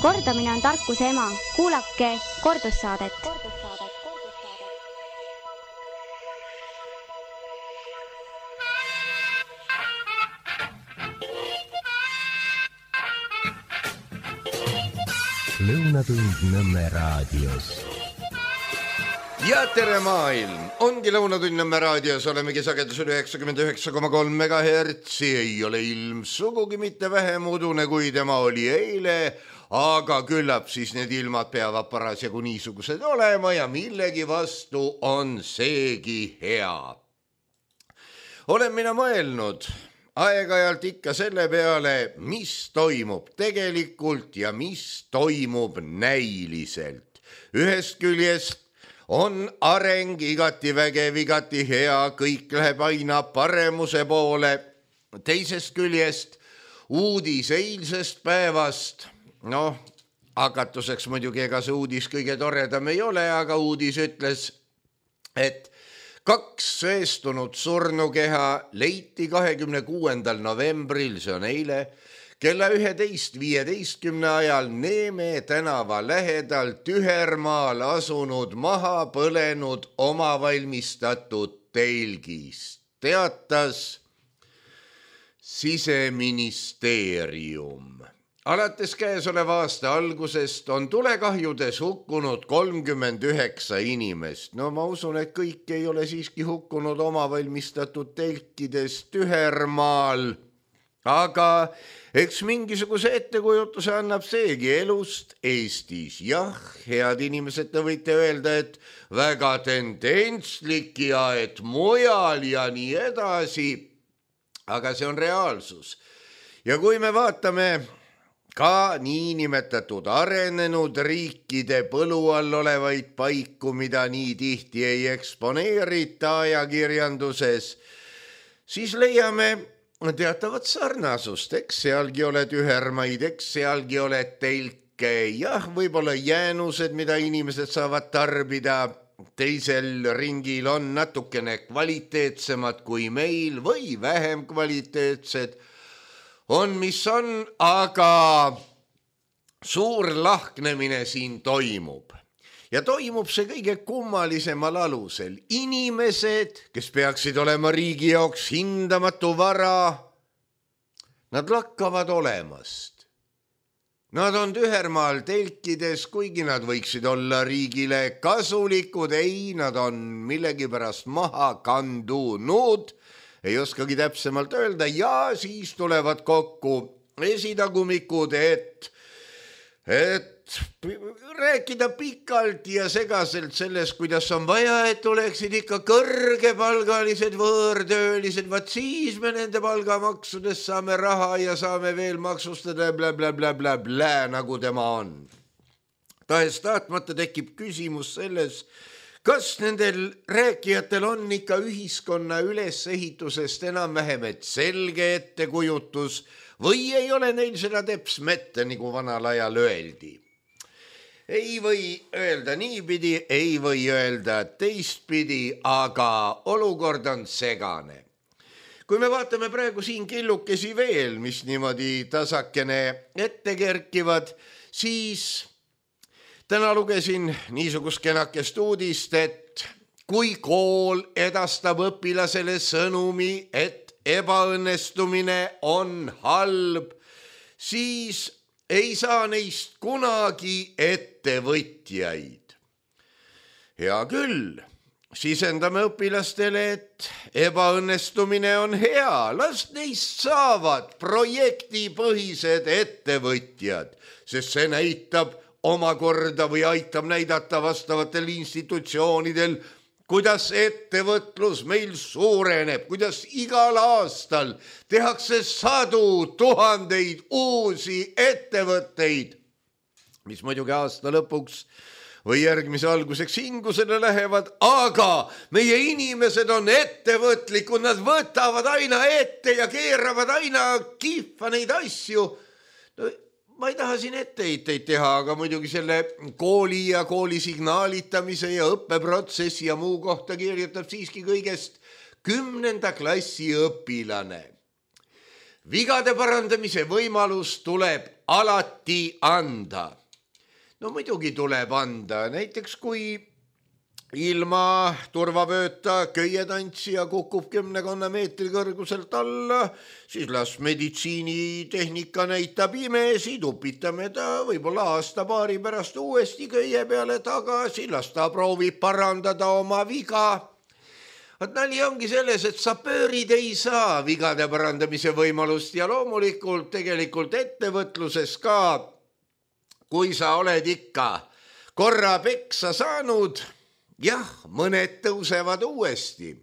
Kordamine on tarkuse ema. Kuulake kordussaadet. Lõunatund Nõmme raadios. Ja tere maailm! Ongi Lõunatund Nõmme raadios, olemegi sagedusel 99,3 MHz. Ei ole ilm sugugi mitte vähem udune, kui tema oli eile, aga küllap siis need ilmad peavad parasjagu niisugused olema ja millegi vastu on seegi hea. Olen mina mõelnud aeg-ajalt ikka selle peale, mis toimub tegelikult ja mis toimub näiliselt. Ühest küljest on areng igati vägev, igati hea, kõik läheb aina paremuse poole. Teisest küljest uudis eilsest päevast, hakatuseks muidugi ega see uudis kõige toredam ei ole, aga uudis ütles, et 2 söestunud surnukeha leiti 26. novembril, see on eile, kella 11:15 ajal Neeme tänava lähedal Tühermaal asunud maha põlenud omavalmistatud telgist, teatas Siseministeerium. Alates käesoleva aasta algusest on tulekahjudes hukkunud 39 inimest. Ma usun, et kõik ei ole siiski hukkunud omavalmistatud telkides Tühermaal, aga eks mingisuguse ettekujutuse annab seegi elust Eestis. Jah, head inimesed, te võite öelda, et väga tendentslik ja et mujal ja nii edasi, aga see on reaalsus. Ja kui me vaatame ka niinimetatud arenenud riikide põlu all olevaid paiku, mida nii tihti ei eksponeerita ajakirjanduses, siis leiame teatavat sarnasust. Eks sealgi ole tühermaid, eks sealgi ole telke, jah, võib-olla jäänused, mida inimesed saavad tarbida, teisel ringil on natukene kvaliteetsemad kui meil või vähem kvaliteetsed. On, mis on, aga suur lahknemine siin toimub. Ja toimub see kõige kummalisemal alusel. Inimesed, kes peaksid olema riigi jaoks hindamatu vara, nad lakkavad olemast. Nad on Tühermaal telkides, kuigi nad võiksid olla riigile kasulikud, ei, nad on millegipärast maha kandunud. Ei oskagi täpsemalt öelda ja siis tulevad kokku esitagumikud, et rääkida pikalt ja segaselt sellest, kuidas on vaja, et oleksid ikka kõrgepalgalised võõrtöölised, vaat siis me nende palgamaksudest saame raha ja saame veel maksustada bla, nagu tema on. Tahes tahtmata tekib küsimus selles, kas nendel rääkijatel on ikka ühiskonna ülesehitusest enam-vähem selge ettekujutus või ei ole neil seda teps mette, nagu vanal ajal öeldi. Ei või öelda niipidi, ei või öelda teistpidi, aga olukord on segane. Kui me vaatame praegu siin killukesi veel, mis niimoodi tasakene ette kerkivad, siis täna lugesin niisugust kenakest uudist, et kui kool edastab õpilasele sõnumi, et ebaõnnestumine on halb, siis ei saa neist kunagi ettevõtjaid. Hea küll, sisendame õpilastele, et ebaõnnestumine on hea, las neist saavad projektipõhised ettevõtjad, sest see näitab omakorda või aitab näidata vastavatel institutsioonidel, kuidas ettevõtlus meil suureneb, kuidas igal aastal tehakse sadu tuhandeid uusi ettevõtteid, mis muidugi aasta lõpuks või järgmise alguseks hingusele lähevad, aga meie inimesed on ettevõtlikud, nad võtavad aina ette ja keeravad aina kihva neid asju. Ma ei taha siin etteheiteid teha, aga muidugi selle kooli ja kooli signaalitamise ja õppeprotsessi ja muu kohta kirjutab siiski kõigest 10. klassi õpilane. vigade parandamise võimalus tuleb alati anda. No muidugi tuleb anda, näiteks kui ilma turvavööta köietantsija kukub 10 meetri kõrguselt alla, siis las meditsiinitehnika näitab imesi, tupitame ta võib-olla aasta-paari pärast uuesti köie peale tagasi, las ta proovib parandada oma viga. Nali ongi selles, et sa pöörid ei saa vigade parandamise võimalust ja loomulikult tegelikult ettevõtluses ka, kui sa oled ikka korra peksa saanud, jah, mõned tõusevad uuesti.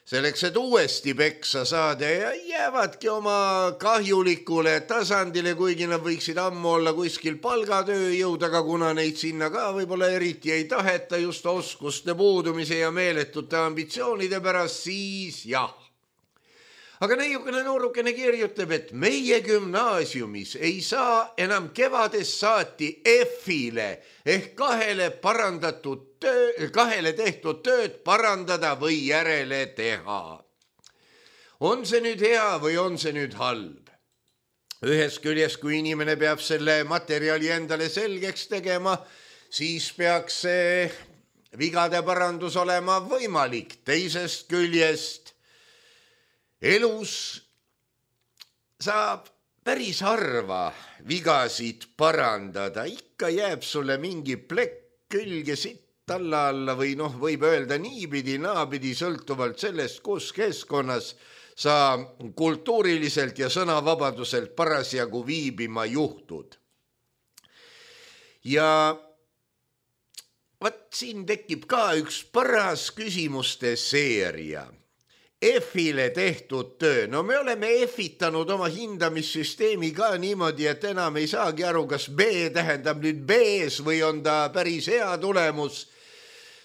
Selleks, et uuesti peksa saada ja jäävadki oma kahjulikule tasandile, kuigi nad võiksid ammu olla kuskil palgatööjõud, aga kuna neid sinna ka võib-olla eriti ei taheta just oskuste puudumise ja meeletute ambitsioonide pärast, siis jah. Aga neiukene noorukene kirjutab, et meie gümnaasiumis ei saa enam kevades saati F-ile ehk kahele tehtud tööd parandada või järele teha. On see nüüd hea või on see nüüd halb? Ühest küljest, kui inimene peab selle materjali endale selgeks tegema, siis peaks see vigade parandus olema võimalik. Teisest küljest elus saab päris harva vigasid parandada, ikka jääb sulle mingi plekk külge sitt alla või võib öelda niipidi, naapidi, sõltuvalt sellest, kus keskkonnas sa kultuuriliselt ja sõnavabaduselt parasjagu viibima juhtud. Ja vaat siin tekib ka üks paras küsimuste seeria. F-ile tehtud töö. No me oleme F-itanud oma hindamissüsteemi ka niimoodi, et enam ei saagi aru, kas B tähendab nüüd B-s või on ta päris hea tulemus.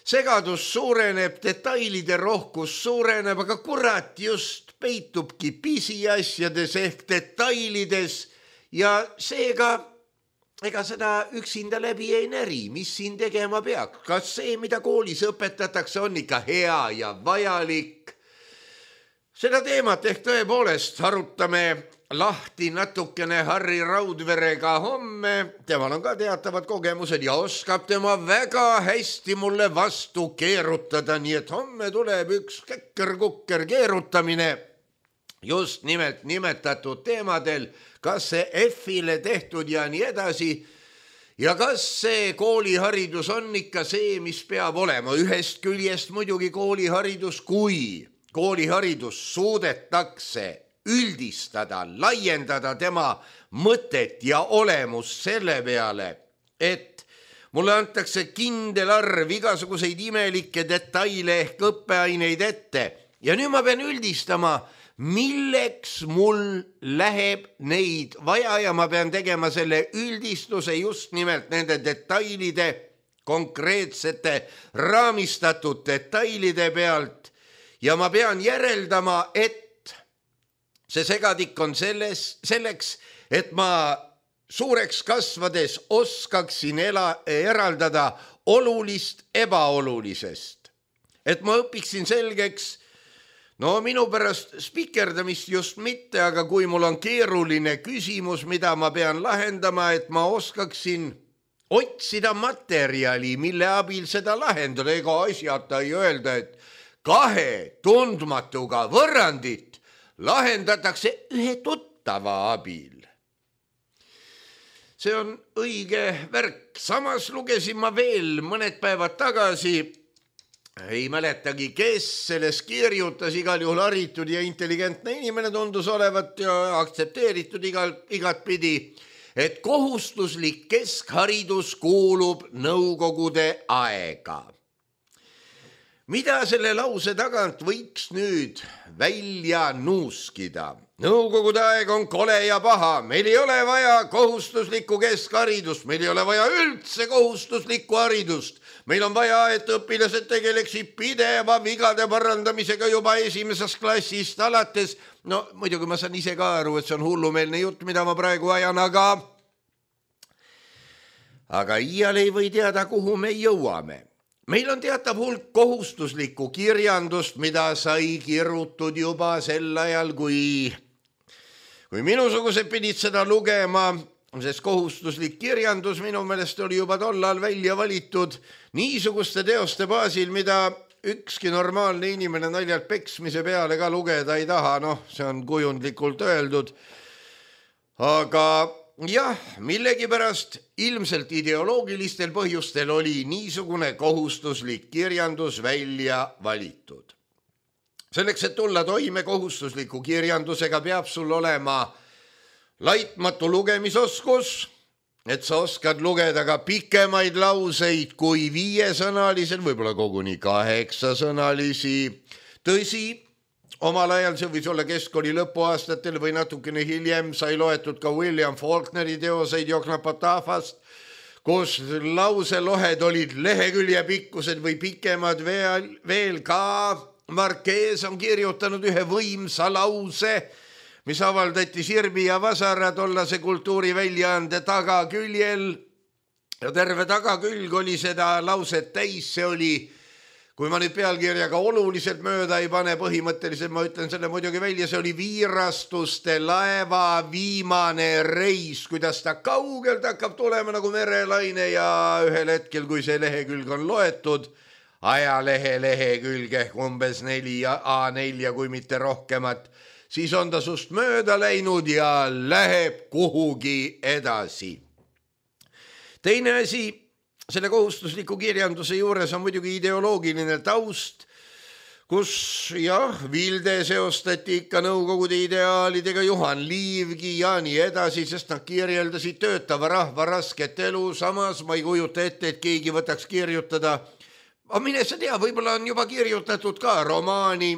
Segadus suureneb, detailide rohkus suureneb, aga kurat just peitubki pisiasjades ehk detailides ja seega ega seda üksinda läbi ei näri, mis siin tegema peaks. Kas see, mida koolis õpetatakse, on ikka hea ja vajalik? Seda teemat ehk tõepoolest arutame lahti natukene Harri Raudverega homme. Temal on ka teatavad kogemused ja oskab tema väga hästi mulle vastu keerutada, nii et homme tuleb üks kekker-kukker keerutamine just nimelt nimetatud teemadel, kas see F-ile tehtud ja nii edasi ja kas see kooliharidus on ikka see, mis peab olema. Ühest küljest muidugi kooliharidus, kui kooliharidus suudetakse üldistada, laiendada tema mõtet ja olemust selle peale, et mulle antakse kindel arv igasuguseid imelikke detaile ehk õppeaineid ette ja nüüd ma pean üldistama, milleks mul läheb neid vaja ja ma pean tegema selle üldistuse just nimelt nende detailide, konkreetsete raamistatud detailide pealt ja ma pean järeldama, et see segadik on selleks, et ma suureks kasvades oskaksin eraldada olulist ebaolulisest. Et ma õpiksin selgeks, minu pärast spikerdamist just mitte, aga kui mul on keeruline küsimus, mida ma pean lahendama, et ma oskaksin otsida materjali, mille abil seda lahendada, ega asjata ei öelda, et 2 tundmatuga võrrandit lahendatakse ühe tuttava abil. See on õige värk. Samas lugesin ma veel mõned päevad tagasi, ei mäletagi, kes selles kirjutas, igal juhul haritud ja intelligentne inimene tundus olevat ja aktsepteeritud igatpidi, et kohustuslik keskharidus kuulub nõukogude aega. Mida selle lause tagant võiks nüüd välja nuuskida? Nõukogude aeg on kole ja paha, meil ei ole vaja kohustuslikku keskharidust, meil ei ole vaja üldse kohustuslikku haridust. Meil on vaja, et õpilased tegeleksid pideva vigade parandamisega juba esimesest klassist alates. Muidugi ma saan ise ka aru, et see on hullumeelne jutt, mida ma praegu ajan, aga iial ei või teada, kuhu me jõuame. Meil on teatav hulk kohustuslikku kirjandust, mida sai kirutud juba sel ajal, kui kui minusugused pidid seda lugema, sest kohustuslik kirjandus minu meelest oli juba tollal välja valitud niisuguste teoste baasil, mida ükski normaalne inimene naljalt peksmise peale ka lugeda ei taha, see on kujundlikult öeldud. Aga jah, millegipärast ilmselt ideoloogilistel põhjustel oli niisugune kohustuslik kirjandus välja valitud. Selleks, et tulla toime kohustusliku kirjandusega, peab sul olema laitmatu lugemisoskus, et sa oskad lugeda ka pikemaid lauseid kui 5-sõnalised, võib-olla koguni 8-sõnalisi. Tõsi, omal ajal see võis olla keskkooli lõpuaastatel või natukene hiljem sai loetud ka William Faulkneri teoseid Joknapatafast, kus lauselohed olid lehekülje pikkused või pikemad veel ka. Marquez on kirjutanud ühe võimsa lause, mis avaldati Sirbi ja Vasara tollase kultuuriväljaande tagaküljel. Ja terve tagakülg oli seda lauset täis, see oli, kui ma nüüd pealkirjaga oluliselt mööda ei pane, põhimõtteliselt ma ütlen selle muidugi välja, see oli Viirastuste laeva viimane reis, kuidas ta kaugelt hakkab tulema nagu merelaine ja ühel hetkel, kui see lehekülg on loetud, ajalehe lehekülge umbes 4 A4 kui mitte rohkemat, siis on ta sust mööda läinud ja läheb kuhugi edasi. Teine asi, selle kohustusliku kirjanduse juures on muidugi ideoloogiline taust, kus Vilde seostati ikka Nõukogude ideaalidega, Juhan Liivgi ja nii edasi, sest nad kirjeldasid töötava rahva rasket elu, samas ma ei kujuta ette, et keegi võtaks kirjutada, aga mine sa tea, võib-olla on juba kirjutatud ka romaani,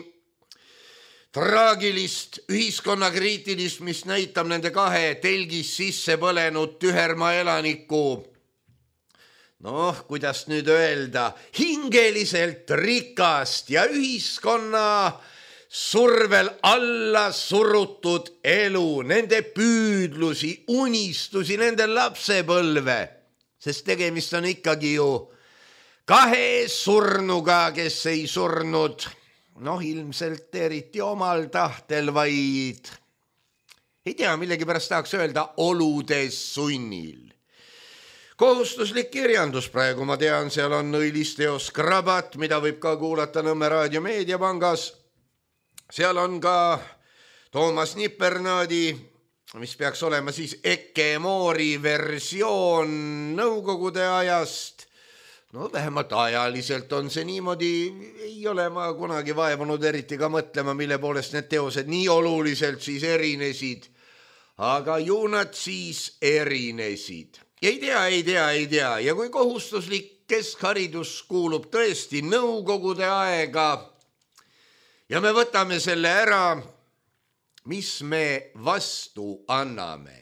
traagilist, ühiskonnakriitilist, mis näitab nende 2 telgis sisse põlenud tühermaa elaniku, kuidas nüüd öelda, hingeliselt rikast ja ühiskonna survel alla surutud elu, nende püüdlusi, unistusi, nende lapsepõlve, sest tegemist on ikkagi ju 2 surnuga, kes ei surnud ilmselt eriti omal tahtel, vaid ei tea, millegipärast tahaks öelda oludes sunnil. Kohustuslik kirjandus praegu, ma tean, seal on õilisteos Krabat, mida võib ka kuulata Nõmme Raadio Meediapangas. Seal on ka Toomas Nipernaadi, mis peaks olema siis Eke Moori versioon Nõukogude ajast. Vähemalt ajaliselt on see niimoodi, ei ole ma kunagi vaevunud eriti ka mõtlema, mille poolest need teosed nii oluliselt siis erinesid. Aga ju nad siis erinesid. Ei tea. Ja kui kohustuslik keskharidus kuulub tõesti Nõukogude aega ja me võtame selle ära, mis me vastu anname?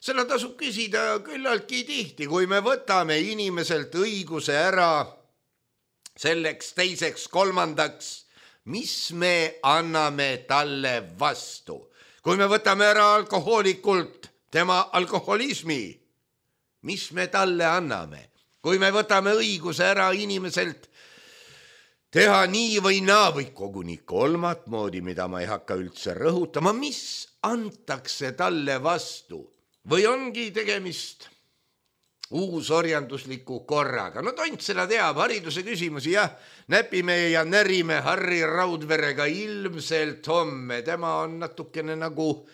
Seda tasub küsida küllaltki tihti, kui me võtame inimeselt õiguse ära selleks, teiseks, kolmandaks, mis me anname talle vastu. Kui me võtame ära alkohoolikult tema alkoholismi, mis me talle anname. Kui me võtame õiguse ära inimeselt teha nii või naa või koguni kolmat moodi, mida ma ei hakka üldse rõhutama, mis antakse talle vastu. Või ongi tegemist uusorjandusliku korraga. Tont seda teab, hariduse küsimusi, näpime ja närime Harri Raudverega ilmselt homme. Tema on natukene nagu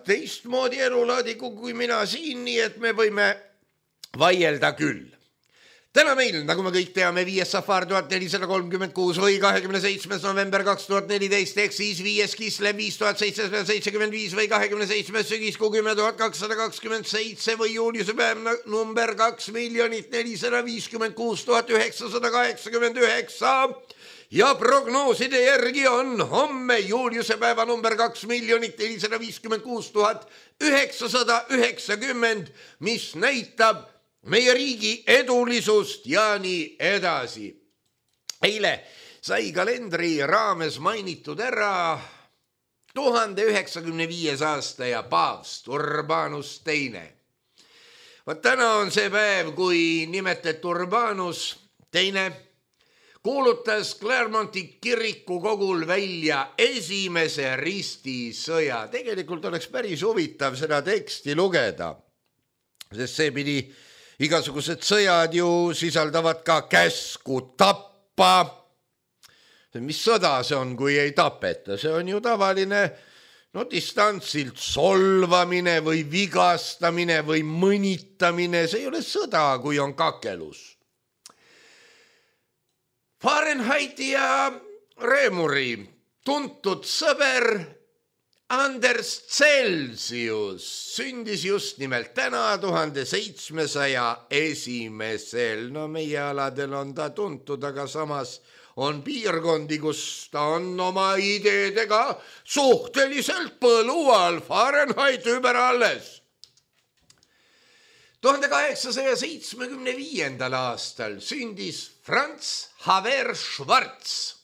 teistmoodi elulaadiku kui mina siin, nii et me võime vaielda küll. Täna meil, nagu me kõik teame, 5. Safar 1436 või 27. november 2014 ehk siis 5. Kislev 5775 või 27. sügis 10 227 või juuliuse päev number 2 456 989 ja prognooside järgi on homme juuliuse päeva number 2 456 990, mis näitab meie riigi edulisust ja nii edasi. Eile sai kalendri raames mainitud ära 1095. aasta ja paavst Urbanus II. Täna on see päev, kui nimetati Urbanus II, kuulutas Clermonti kiriku kogul välja esimese ristisõja. Tegelikult oleks päris huvitav seda teksti lugeda, sest see pidi, igasugused sõjad ju sisaldavad ka käsku tappa. Mis sõda see on, kui ei tapeta? See on ju tavaline distantsilt solvamine või vigastamine või mõnitamine. See ei ole sõda, kui on kakelus. Fahrenheiti ja Reemuri tuntud sõber Anders Celsius sündis just nimelt täna 1701. No meie aladel on ta tuntud, aga samas on piirkondi, kus ta on oma ideedega suhteliselt põlual. Fahrenheit über alles. 1875. aastal sündis Franz Xaver Schwarz.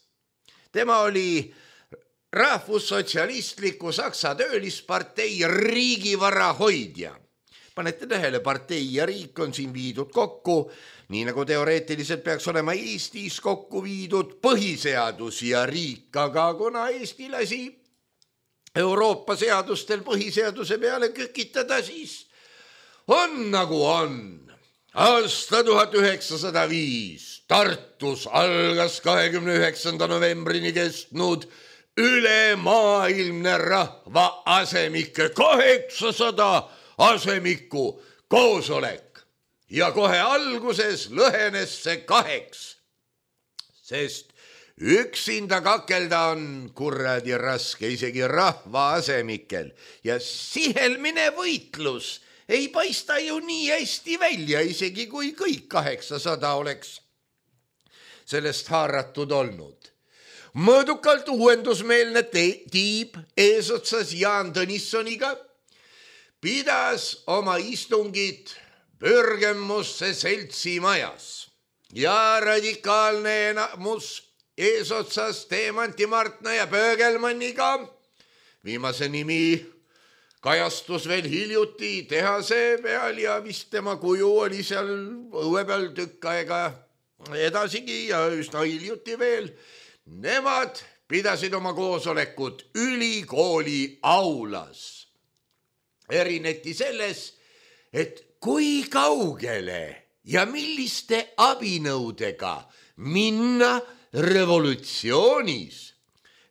Tema oli rahvussotsialistliku Saksa töölispartei riigivara hoidja. Panete tähele, partei ja riik on siin viidud kokku, nii nagu teoreetiliselt peaks olema Eestis kokku viidud põhiseadus ja riik, aga kuna Eesti lasi Euroopa seadustel põhiseaduse peale kükitada, siis on nagu on. Aasta 1905 Tartus algas 29. novembrini kestnud ülemaailmne rahva asemike 800 asemiku koosolek ja kohe alguses lõhenes see 2, sest üksinda kakelda on kuradi raske isegi rahva asemikel ja sihelmine võitlus ei paista ju nii hästi välja, isegi kui kõik 800 oleks sellest haaratud olnud. Mõõdukalt uuendusmeelne tiib eesotsas Jaan Tõnissoniga pidas oma istungid Pürgemusse seltsimajas ja radikaalne enamus eesotsas Teemanti Martna ja Pöögelmanniga, viimase nimi kajastus veel hiljuti tehase peal ja vist tema kuju oli seal õue peal tükk aega edasigi ja üsna hiljuti veel. Nemad pidasid oma koosolekut ülikooli aulas. Erineti selles, et kui kaugele ja milliste abinõudega minna revolutsioonis.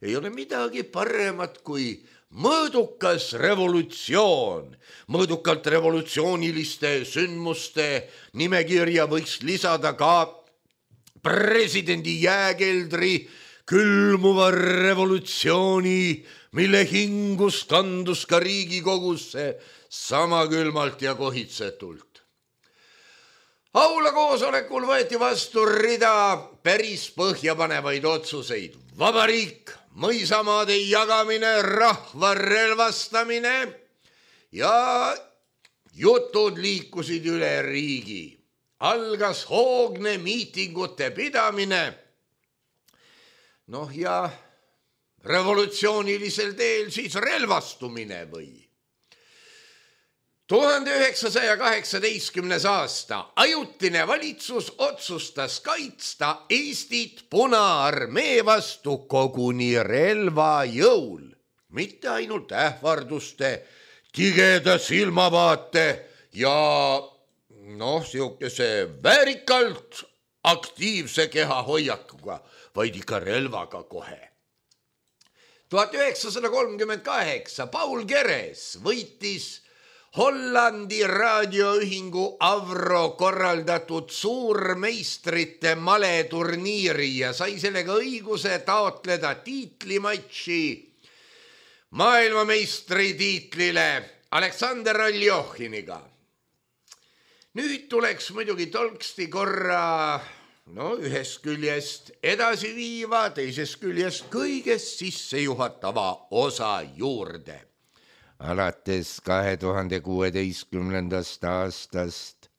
Ei ole midagi paremat kui mõõdukas revolutsioon. Mõõdukalt revolutsiooniliste sündmuste nimekirja võiks lisada ka presidendi jääkeldri külmuva revolutsiooni, mille hingus kandus ka Riigikogusse sama külmalt ja kohitsetult. Aula koosolekul võeti vastu rida päris põhjapanevaid otsuseid. Vabariik, mõisamaade jagamine, rahva relvastamine ja jutud liikusid üle riigi. Algas hoogne miitingute pidamine. Ja revolutsioonilisel teel siis relvastumine või. 1918. aasta ajutine valitsus otsustas kaitsta Eestit Punaarmee vastu koguni relvajõul, mitte ainult ähvarduste, tigeda silmavaate ja siukese väärikalt aktiivse kehahoiakuga, vaid ikka relvaga kohe. 1938 Paul Keres võitis Hollandi raadioühingu Avro korraldatud suurmeistrite maleturniiri ja sai sellega õiguse taotleda tiitlimatši maailmameistri tiitlile Aleksander Aljohiniga. Nüüd tuleks muidugi tolksti korra ühest küljest edasi viiva, teisest küljest kõigest sissejuhatava osa juurde. Alates 2016. aastast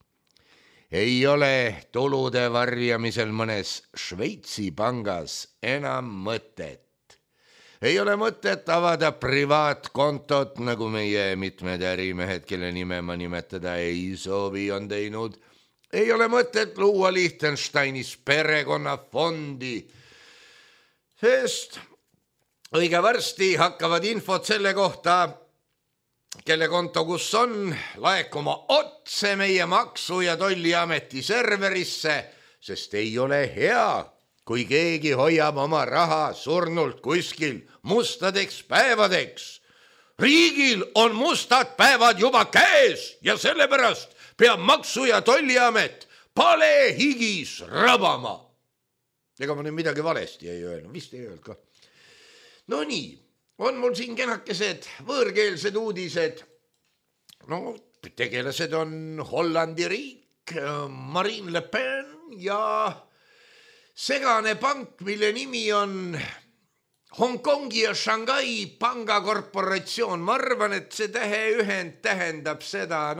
ei ole tulude varjamisel mõnes Šveitsi pangas enam mõtet. Ei ole mõtet avada privaatkontot, nagu meie mitmed ärimehed, kelle nime ma nimetada ei soovi, on teinud. ei ole mõtet luua Liechtensteinis perekonnafondi, sest õige varsti hakkavad infot selle kohta, kelle konto kus on, laekuma otse meie Maksu- ja Tolliameti serverisse, sest ei ole hea, kui keegi hoiab oma raha surnult kuskil mustadeks päevadeks. Riigil on mustad päevad juba käes ja sellepärast peab Maksu- ja Tolliamet palehigis rabama. Ega ma nüüd midagi valesti ei öelnud, vist ei öelnud ka. No nii, on mul siin kenakesed võõrkeelsed uudised. No, tegelased on Hollandi riik, Marine Le Pen ja segane pank, mille nimi on Hongkongi ja Shanghai pangakorporatsioon. Ma arvan, et see täheühend tähendab seda,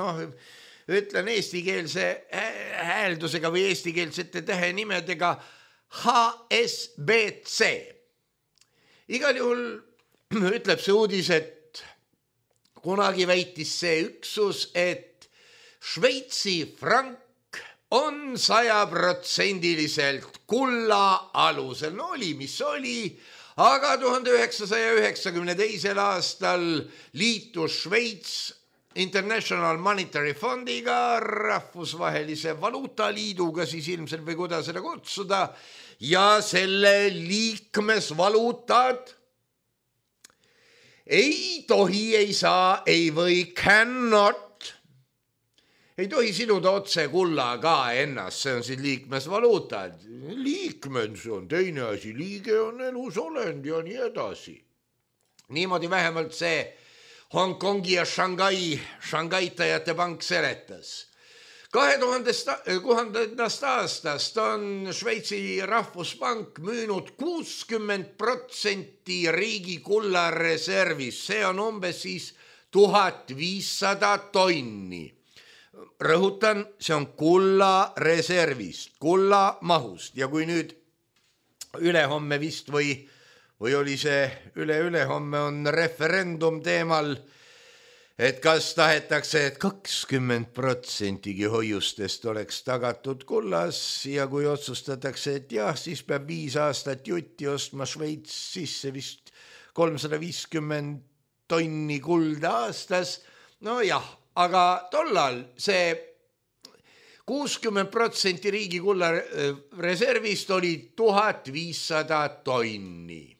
ütlen eestikeelse hääldusega või eestikeelsete tähenimedega HSBC. Igal juhul ütleb see uudis, et kunagi väitis see üksus, et Šveitsi frank on 100% kulla alusel. No oli, mis oli, aga 1992. aastal liitus Šveits International Monetary Fondiga, rahvusvahelise valuutaliiduga, siis ilmselt või kuidas seda kutsuda, ja selle liikmesvaluutad ei tohi, ei saa, ei või, cannot, ei tohi siduda otse kullaga ennast, see on siis liikmesvaluutad. Liikmed, see on teine asi, liige on elus olend ja nii edasi. Niimoodi vähemalt see Hongkongi ja Shanghaitajate pank seletas. 2000. aastast on Šveitsi rahvuspank müünud 60% riigi kullareservis. See on umbes siis 1500 tonni. Rõhutan, see on kullareservist, kullamahust. Ja kui nüüd ülehomme vist või oli see ülehomme on referendum teemal, et kas tahetakse, et 20% hoiustest oleks tagatud kullas ja kui otsustatakse, et jah, siis peab 5 aastat jutti ostma Šveits sisse vist 350 tonni kulda aastas. No jah, aga tollal see 60% riigi kulla reservist oli 1500 tonni.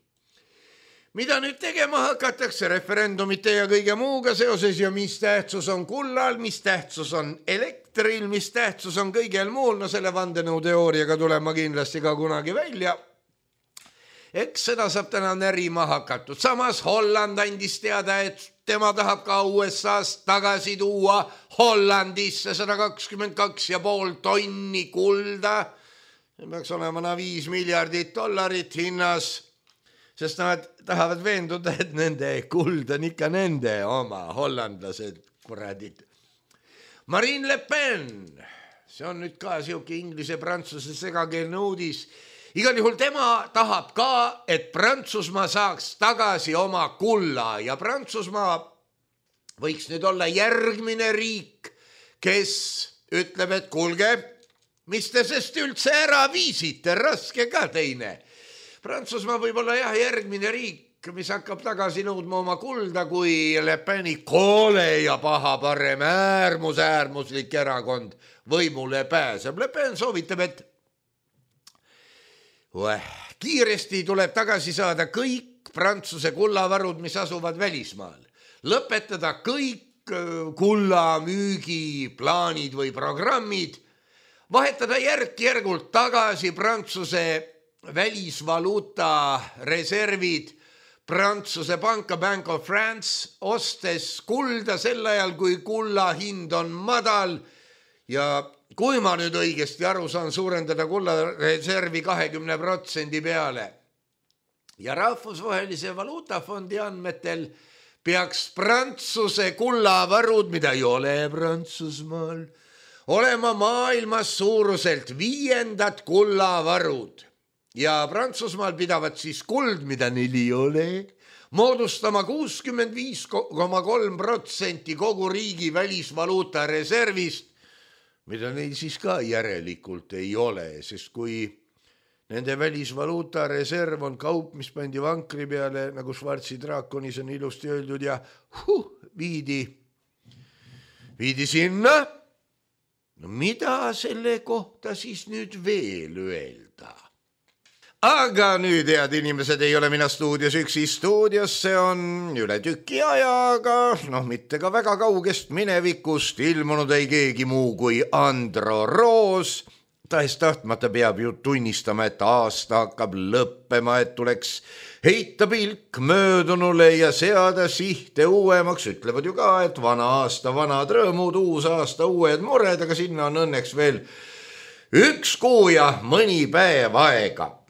Mida nüüd tegema hakatakse referendumite ja kõige muuga seoses ja mis tähtsus on kullal, mis tähtsus on elektril, mis tähtsus on kõigel muul, no selle vandenõuteooriaga tulema kindlasti ka kunagi välja. Eks seda saab täna närima hakatud. Samas Holland andis teada, et tema tahab ka USA-st tagasi tuua Hollandisse 122,5 tonni kulda. See peaks olema 5 miljardit dollarit hinnas. Sest nad tahavad veenduda, et nende kuld on ikka nende oma, hollandlased, kuradid. Marine Le Pen, see on nüüd ka siuke inglise-prantsuse segakeelne uudis. Igal juhul tema tahab ka, et Prantsusmaa saaks tagasi oma kulla ja Prantsusmaa võiks nüüd olla järgmine riik, kes ütleb, et kuulge, mis te sest üldse ära viisite, raske ka teine. Prantsusmaa võib olla jah järgmine riik, mis hakkab tagasi nõudma oma kulda, kui Le Peni koole ja paha parem äärmuslik erakond võimule pääseb. Le Pen soovitab, et kiiresti tuleb tagasi saada kõik Prantsuse kullavarud, mis asuvad välismaal. Lõpetada kõik kullamüügiplaanid või programmid, vahetada järk-järgult tagasi Prantsuse välisvaluuta reservid Prantsuse panka Bank of France, ostes kulda sel ajal, kui kulla hind on madal ja kui ma nüüd õigesti aru saan, suurendada kulla reservi 20% peale. Ja rahvusvahelise valuutafondi andmetel peaks Prantsuse kullavarud, mida ei ole Prantsusmaal, olema maailmas suuruselt 5. kullavarud. Ja Prantsusmaal pidavad siis kuld, mida neil ei ole, moodustama 65,3% kogu riigi välisvaluuta reservist. mida neil siis ka järelikult ei ole, sest kui nende välisvaluuta reserv on kaup, mis pandi vankri peale, nagu Schwarzi draakonis on ilusti öeldud ja viidi sinna. No mida selle kohta siis nüüd veel öelda? Aga nüüd, head inimesed, ei ole mina stuudios üksi. Stuudiosse on üle tüki ajaga, mitte ka väga kaugest minevikust ilmunud ei keegi muu kui Andro Roos. Tahes tahtmata peab ju tunnistama, et aasta hakkab lõppema, et tuleks heita pilk möödunule ja seada sihte uuemaks. Ütlevad ju ka, et vana aasta, vanad rõõmud, uus aasta, uued mured, aga sinna on õnneks veel 1 kuu ja mõni päev aega.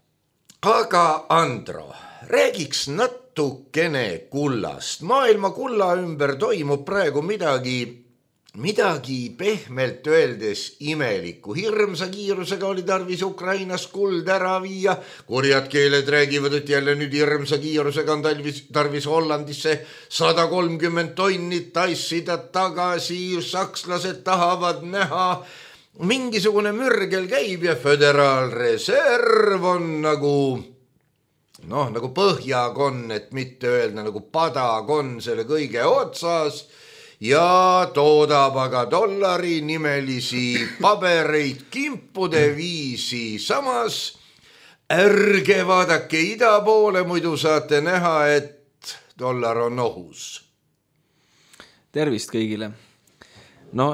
Aga Andro, räägiks natukene kullast. Maailma kulla ümber toimub praegu midagi pehmelt öeldes imelikku. Hirmsa kiirusega oli tarvis Ukrainas kuld ära viia. Kurjad keeled räägivad, et jälle nüüd hirmsa kiirusega on tarvis Hollandisse 130 tonni tassida tagasi. Sakslased tahavad näha. Mingisugune mürgel käib ja föderaalreserv on nagu põhjakonn, et mitte öelda nagu padakon selle kõige otsas ja toodab aga dollari nimelisi pabereid kimpude viisi. Samas ärge vaadake ida poole, muidu saate näha, et dollar on ohus. Tervist kõigile.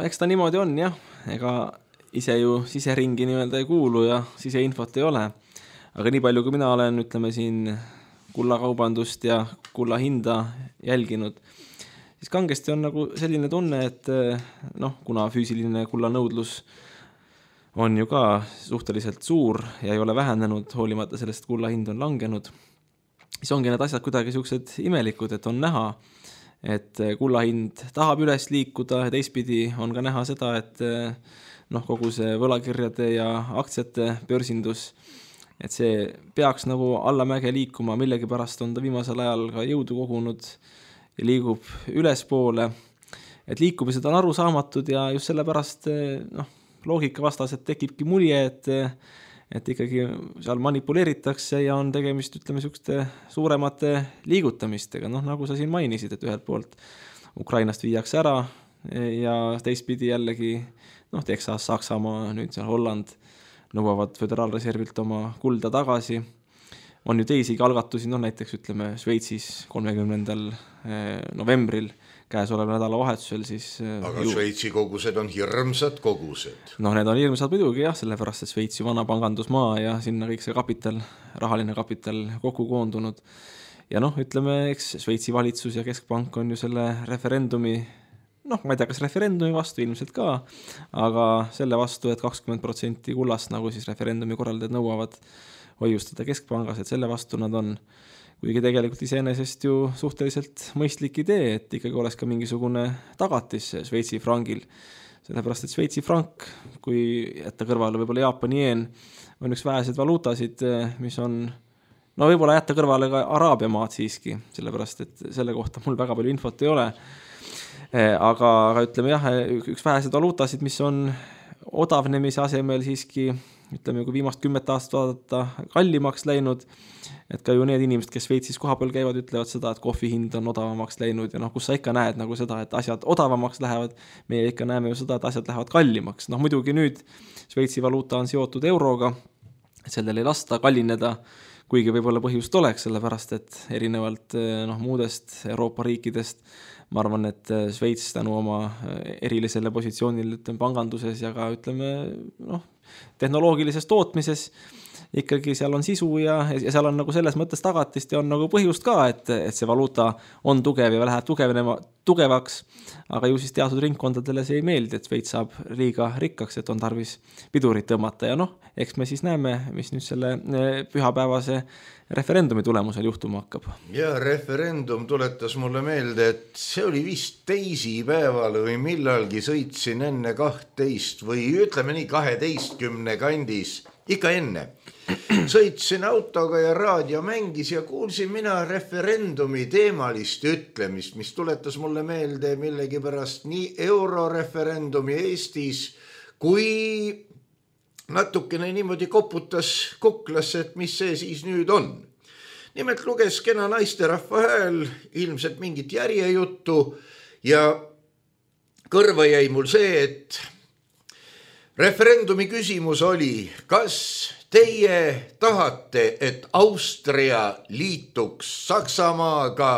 Eks ta niimoodi on jah, ega ise ju siseringi nii-öelda ei kuulu ja siseinfot ei ole. Aga nii palju, kui mina olen, ütleme siin kullakaubandust ja kulla hinda jälginud, siis kangesti on nagu selline tunne, et kuna füüsiline kulla nõudlus on ju ka suhteliselt suur ja ei ole vähenenud, hoolimata sellest kulla hind on langenud, siis ongi need asjad kuidagi siuksed imelikud, et on näha, et kulla hind tahab üles liikuda ja teistpidi on ka näha seda, et kogu see võlakirjade ja aktsiate börsindus, et see peaks nagu allamäge liikuma, millegipärast on ta viimasel ajal ka jõudu kogunud ja liigub ülespoole. Et liikumised on arusaamatud ja just sellepärast loogika vastaselt tekibki mulje, et ikkagi seal manipuleeritakse ja on tegemist, ütleme, siukeste suuremate liigutamistega. Nagu sa siin mainisid, et ühelt poolt Ukrainast viiakse ära ja teistpidi jällegi Texas, Saksamaa, nüüd seal Holland nõuavad föderaalreservilt oma kulda tagasi. On ju teisigi algatusi, näiteks ütleme Šveitsis 30. novembril käesoleva nädalavahetusel siis. Aga Šveitsi kogused on hirmsad kogused. Need on hirmsad muidugi jah, sellepärast, et Šveitsi vana pangandusmaa ja sinna kõik see rahaline kapital kokku koondunud. Ja ütleme, eks Šveitsi valitsus ja keskpank on ju selle referendumi, ma ei tea, kas referendumi vastu ilmselt ka, aga selle vastu, et 20% kullast, nagu siis referendumi korraldajad nõuavad hoiustada keskpangas, et selle vastu nad on, kuigi tegelikult iseenesest ju suhteliselt mõistlik idee, et ikkagi oleks ka mingisugune tagatis Šveitsi frangil. Sellepärast, et Šveitsi frank, kui jätta kõrvale võib-olla Jaapani jeen, on üks vähesed valuutasid, mis on, võib-olla jätta kõrvale ka Araabia maad siiski, sellepärast, et selle kohta mul väga palju infot ei ole. Aga ütleme jah, üks vähesed valuutasid, mis on odavnemise asemel siiski, ütleme, kui viimast 10 aastat vaadata, kallimaks läinud, et ka ju need inimesed, kes Šveitsis kohapeal käivad, ütlevad seda, et kohvi hind on odavamaks läinud ja kus sa ikka näed nagu seda, et asjad odavamaks lähevad, meie ikka näeme ju seda, et asjad lähevad kallimaks. Muidugi nüüd Šveitsi valuuta on seotud euroga, et sellel ei lasta kallineda, kuigi võib-olla põhjust oleks, sellepärast, et erinevalt muudest Euroopa riikidest ma arvan, et Šveits tänu oma erilisele positsioonil panganduses ja ka tehnoloogilises tootmises ikkagi seal on sisu ja seal on nagu selles mõttes tagatist ja on nagu põhjust ka, et see valuuta on tugev ja läheb tugevaks, aga ju siis teatud ringkondadele see ei meeldi, et Šveits saab liiga rikkaks, et on tarvis pidurit tõmmata ja eks me siis näeme, mis nüüd selle pühapäevase referendumi tulemusel juhtuma hakkab. Ja referendum tuletas mulle meelde, et see oli vist teisipäeval või millalgi sõitsin enne 12 või ütleme nii 12 kandis, ikka enne. Sõitsin autoga ja raadio mängis ja kuulsin mina referendumi teemalist ütlemist, mis tuletas mulle meelde millegipärast nii euroreferendumi Eestis kui natukene niimoodi koputas kuklasse, et mis see siis nüüd on. Nimelt luges kena naisterahva hääl ilmselt mingit järjejuttu ja kõrva jäi mul see, et referendumi küsimus oli, kas teie tahate, et Austria liituks Saksamaaga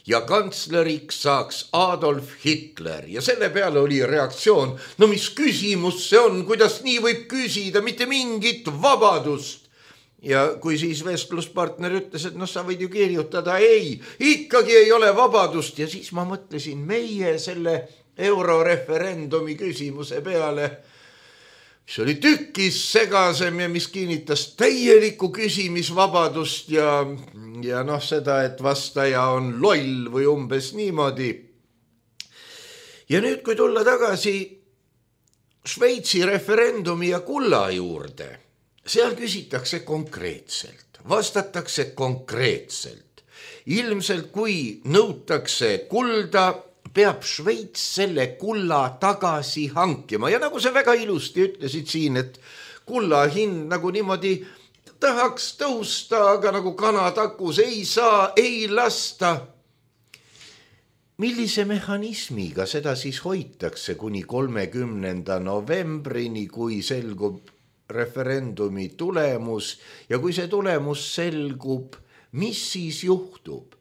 ja kantsleriks saaks Adolf Hitler ja selle peale oli reaktsioon, no mis küsimus see on, kuidas nii võib küsida, mitte mingit vabadust. Ja kui siis vestluspartner ütles, et sa võid ju kirjutada, ei, ikkagi ei ole vabadust ja siis ma mõtlesin meie selle euroreferendumi küsimuse peale, mis oli tükis segasem ja mis kinnitas täielikku küsimisvabadust ja seda, et vastaja on loll või umbes niimoodi. Ja nüüd, kui tulla tagasi Šveitsi referendumi ja kulla juurde, seal küsitakse konkreetselt, vastatakse konkreetselt. Ilmselt kui nõutakse kulda, peab Šveits selle kulla tagasi hankima. Ja nagu sa väga ilusti ütlesid siin, et kulla hind nagu niimoodi tahaks tõusta, aga nagu kanatakus ei saa, ei lasta. Millise mehhanismiga seda siis hoitakse kuni 30. novembrini, kui selgub referendumi tulemus ja kui see tulemus selgub, mis siis juhtub?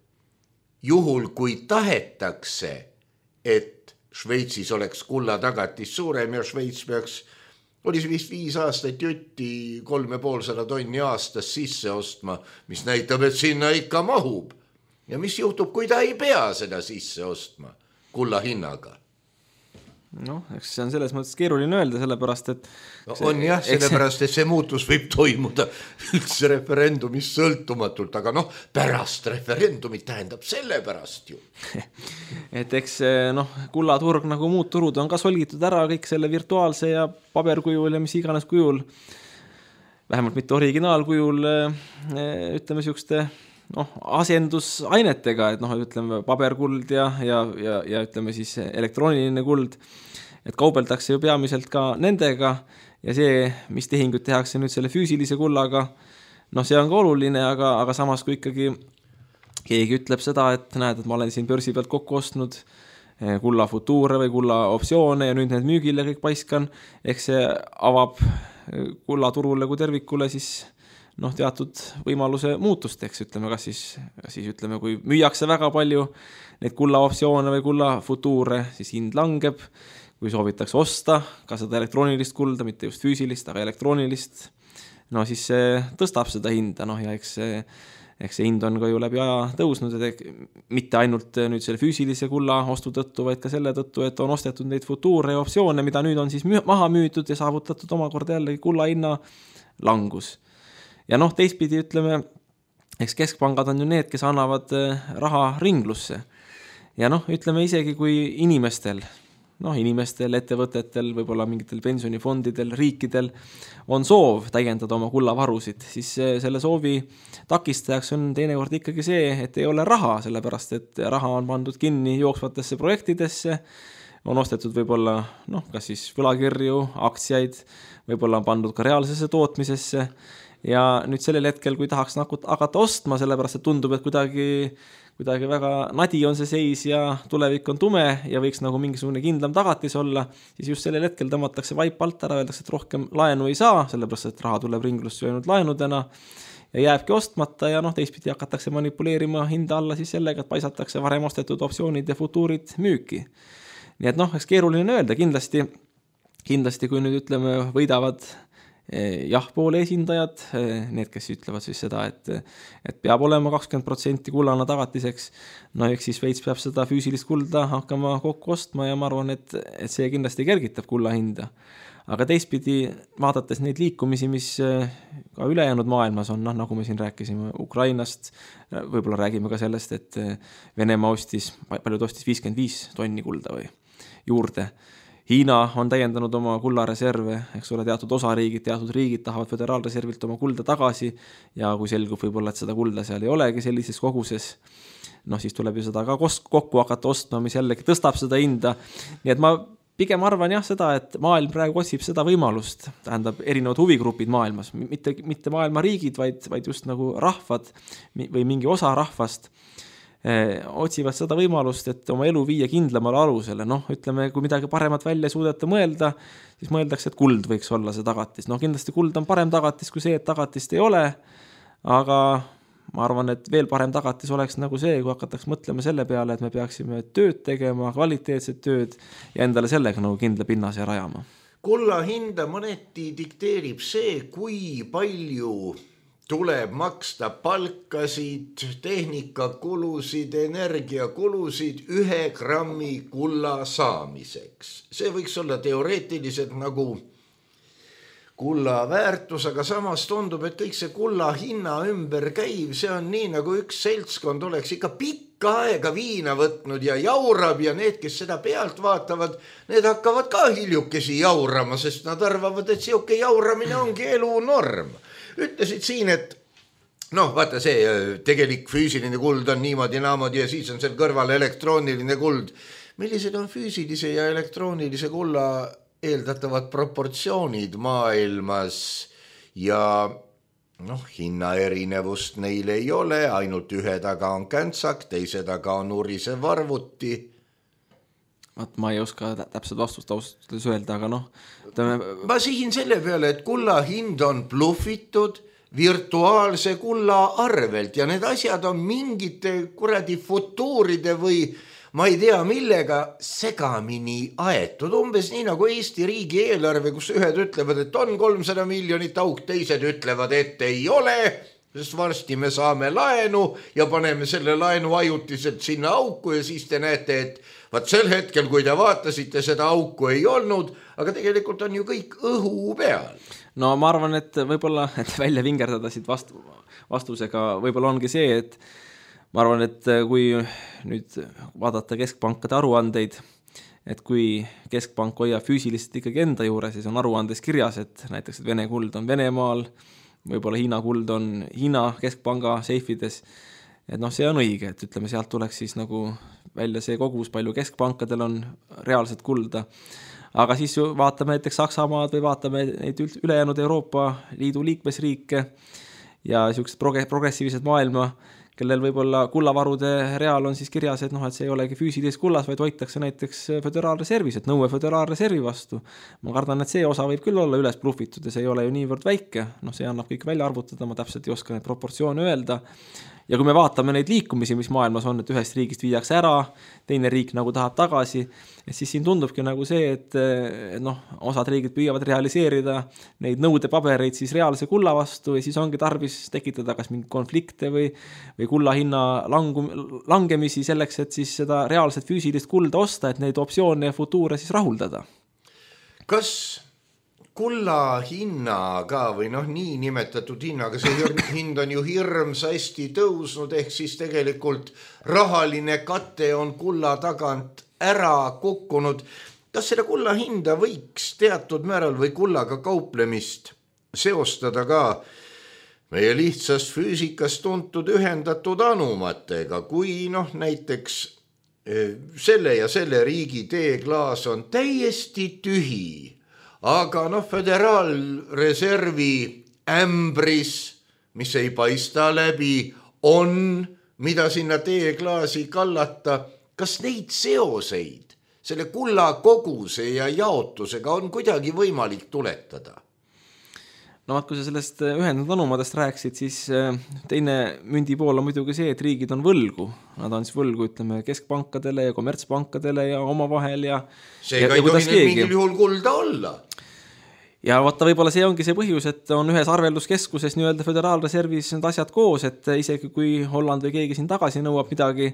Juhul, kui tahetakse, et Šveitsis oleks kulla tagatis suurem ja Šveits peaks, oli see vist 5 aastat jutti 350 tonni aastas sisse ostma, mis näitab, et sinna ikka mahub. Ja mis juhtub, kui ta ei pea seda sisse ostma kulla hinnaga? Eks see on selles mõttes keeruline öelda, sellepärast, et on jah, sellepärast, et see muutus võib toimuda üldse referendumist sõltumatult, aga pärast referendumit tähendab sellepärast ju. Et eks kullaturg nagu muud turud on ka solgitud ära kõik selle virtuaalse ja paberkujul ja mis iganes kujul, vähemalt mitte originaalkujul, ütleme siukeste asendusainetega, et ütleme paberkuld ja ütleme siis elektrooniline kuld, et kaubeldakse ju peamiselt ka nendega ja see, mis tehingud tehakse nüüd selle füüsilise kullaga, see on ka oluline, aga samas kui ikkagi keegi ütleb seda, et näed, et ma olen siin börsi pealt kokku ostnud kulla futuure või kulla optsioone ja nüüd need müügile kõik paiskan, ehk see avab kullaturule kui tervikule siis teatud võimaluse muutusteks, ütleme, kas siis ütleme, kui müüakse väga palju neid kulla optsioone või kulla futuure, siis hind langeb, kui soovitakse osta ka seda elektroonilist kulda, mitte just füüsilist, aga elektroonilist, siis see tõstab seda hinda, ja eks see hind on ka ju läbi aja tõusnud, et mitte ainult nüüd selle füüsilise kulla ostu tõttu, vaid ka selle tõttu, et on ostetud neid futuure ja optsioone, mida nüüd on siis maha müütud ja saavutatud omakorda jällegi kulla hinna langus. Ja teistpidi ütleme, eks keskpangad on ju need, kes annavad raha ringlusse. Ja ütleme isegi kui inimestel, ettevõtetel, võib-olla mingitel pensionifondidel, riikidel on soov täiendada oma kullavarusid, siis selle soovi takistajaks on teinekord ikkagi see, et ei ole raha, sellepärast et raha on pandud kinni jooksvatesse projektidesse, on ostetud võib-olla, kas siis võlakirju, aktsiaid, võib-olla on pandud ka reaalsesse tootmisesse. Ja nüüd sellel hetkel, kui tahaks hakata ostma, sellepärast, et tundub, et kuidagi väga nadi on see seis ja tulevik on tume ja võiks nagu mingisugune kindlam tagatis olla, siis just sellel hetkel tõmmatakse vaip alt ära, öeldakse, et rohkem laenu ei saa, sellepärast, et raha tuleb ringlusse ainult laenudena ja jääbki ostmata ja teistpidi hakatakse manipuleerima hinda alla siis sellega, et paisatakse varem ostetud optsioonid ja futuurid müüki. Nii et eks keeruline öelda, kindlasti kui nüüd ütleme võidavad jah-poole esindajad, need, kes ütlevad siis seda, et peab olema 20% kullana tagatiseks, eks siis Šveits peab seda füüsilist kulda hakkama kokku ostma ja ma arvan, et see kindlasti kergitab kulla hinda. Aga teistpidi, vaadates neid liikumisi, mis ka ülejäänud maailmas on, nagu me siin rääkisime Ukrainast, võib-olla räägime ka sellest, et Venemaa paljud ostis 55 tonni kulda või juurde. Hiina on täiendanud oma kullareserve, eks ole, teatud riigid tahavad föderaalreservilt oma kulda tagasi ja kui selgub võib-olla, et seda kulda seal ei olegi sellises koguses, siis tuleb ju seda ka kokku hakata ostma, mis jällegi tõstab seda hinda. Nii et ma pigem arvan jah seda, et maailm praegu otsib seda võimalust, tähendab erinevad huvigrupid maailmas, mitte maailma riigid, vaid just nagu rahvad või mingi osa rahvast otsivad seda võimalust, et oma elu viia kindlamale alusele. Ütleme, kui midagi paremat välja suudeta mõelda, siis mõeldakse, et kuld võiks olla see tagatis. Kindlasti kuld on parem tagatis kui see, et tagatist ei ole, aga ma arvan, et veel parem tagatis oleks nagu see, kui hakataks mõtlema selle peale, et me peaksime tööd tegema, kvaliteetset tööd ja endale sellega nagu kindla pinnase rajama. Kulla hinda mõneti dikteerib see, kui palju tuleb maksta palkasid, tehnikakulusid, energiakulusid 1 grammi kulla saamiseks. See võiks olla teoreetiliselt nagu kulla väärtus, aga samas tundub, et kõik see kulla hinna ümber käiv, see on nii, nagu üks seltskond oleks ikka pikka aega viina võtnud ja jaurab ja need, kes seda pealt vaatavad, need hakkavad ka hiljukesi jaurama, sest nad arvavad, et siuke jauramine ongi elu norm. Ütlesid siin, et vaata see tegelik füüsiline kuld on niimoodi ja siis on seal kõrval elektrooniline kuld. Millised on füüsilise ja elektroonilise kulla eeldatavad proportsioonid maailmas ja hinna erinevust neil ei ole, ainult ühe taga on käntsak, teise taga on urisev arvuti. Ma ei oska täpselt vastust austustes öelda, aga Ma sihin selle peale, et kulla hind on bluffitud virtuaalse kulla arvelt ja need asjad on mingite kuradi futuuride või ma ei tea millega segamini aetud. Umbes nii nagu Eesti riigi eelarve, kus ühed ütlevad, et on 300 miljonit auk, teised ütlevad, et ei ole, sest varsti me saame laenu ja paneme selle laenu ajutiselt sinna auku ja siis te näete, et vaat sel hetkel, kui te vaatasite, seda auku ei olnud, aga tegelikult on ju kõik õhu peal. Ma arvan, et võib-olla, et välja vingerdada siit vastusega, võib-olla ongi see, et ma arvan, et kui nüüd vaadata keskpankade aruandeid, et kui keskpank hoiab füüsiliselt ikkagi enda juures, siis on aruandes kirjas, et näiteks et Vene kuld on Venemaal, võib-olla Hiina kuld on Hiina keskpanga seifides, et see on õige, et ütleme, sealt tuleks siis nagu välja see kogus, palju keskpankadel on reaalset kulda. Aga siis vaatame näiteks Saksamaad või vaatame neid ülejäänud Euroopa Liidu liikmesriike ja sellised progressiivsed maailma, kellel võib-olla kullavarude real on siis kirjas, et see ei olegi füüsilises kullas, vaid hoitakse näiteks föderaalreservis, et nõue föderaalreservi vastu. Ma kardan, et see osa võib küll olla üles bluffitud ja see ei ole ju niivõrd väike. See annab kõik välja arvutada, ma täpselt ei oska neid proportsioone öelda. Ja kui me vaatame neid liikumisi, mis maailmas on, et ühest riigist viiakse ära, teine riik nagu tahab tagasi, et siis siin tundubki nagu see, et osad riigid püüavad realiseerida neid nõudepabereid siis reaalse kulla vastu ja siis ongi tarvis tekitada kas mingi konflikte või kulla hinna langemisi selleks, et siis seda reaalset füüsilist kulda osta, et neid optsioone ja futuure siis rahuldada. Kas kulla hinnaga või nii nimetatud hinnaga, see hind on ju hirmsasti tõusnud, ehk siis tegelikult rahaline kate on kulla tagant ära kukkunud. Kas selle kulla hinda võiks teatud määral või kullaga kauplemist seostada ka meie lihtsast füüsikast tuntud ühendatud anumatega, kui näiteks selle ja selle riigi teeklaas on täiesti tühi, aga föderaalreservi ämbris, mis ei paista läbi, on, mida sinna teeklaasi kallata. Kas neid seoseid selle kulla koguse ja jaotusega on kuidagi võimalik tuletada? Kui sa sellest ühendatud anumadest rääksid, siis teine mündi pool on muidugi see, et riigid on võlgu. Nad on siis võlgu, ütleme, keskpankadele ja kommertspankadele ja omavahel ja seega ei tohi mingil juhul kulda olla. Ja vaata, võib-olla see ongi see põhjus, et on ühes arvelduskeskuses nii-öelda föderaalreservis need asjad koos, et isegi kui Holland või keegi siin tagasi nõuab midagi,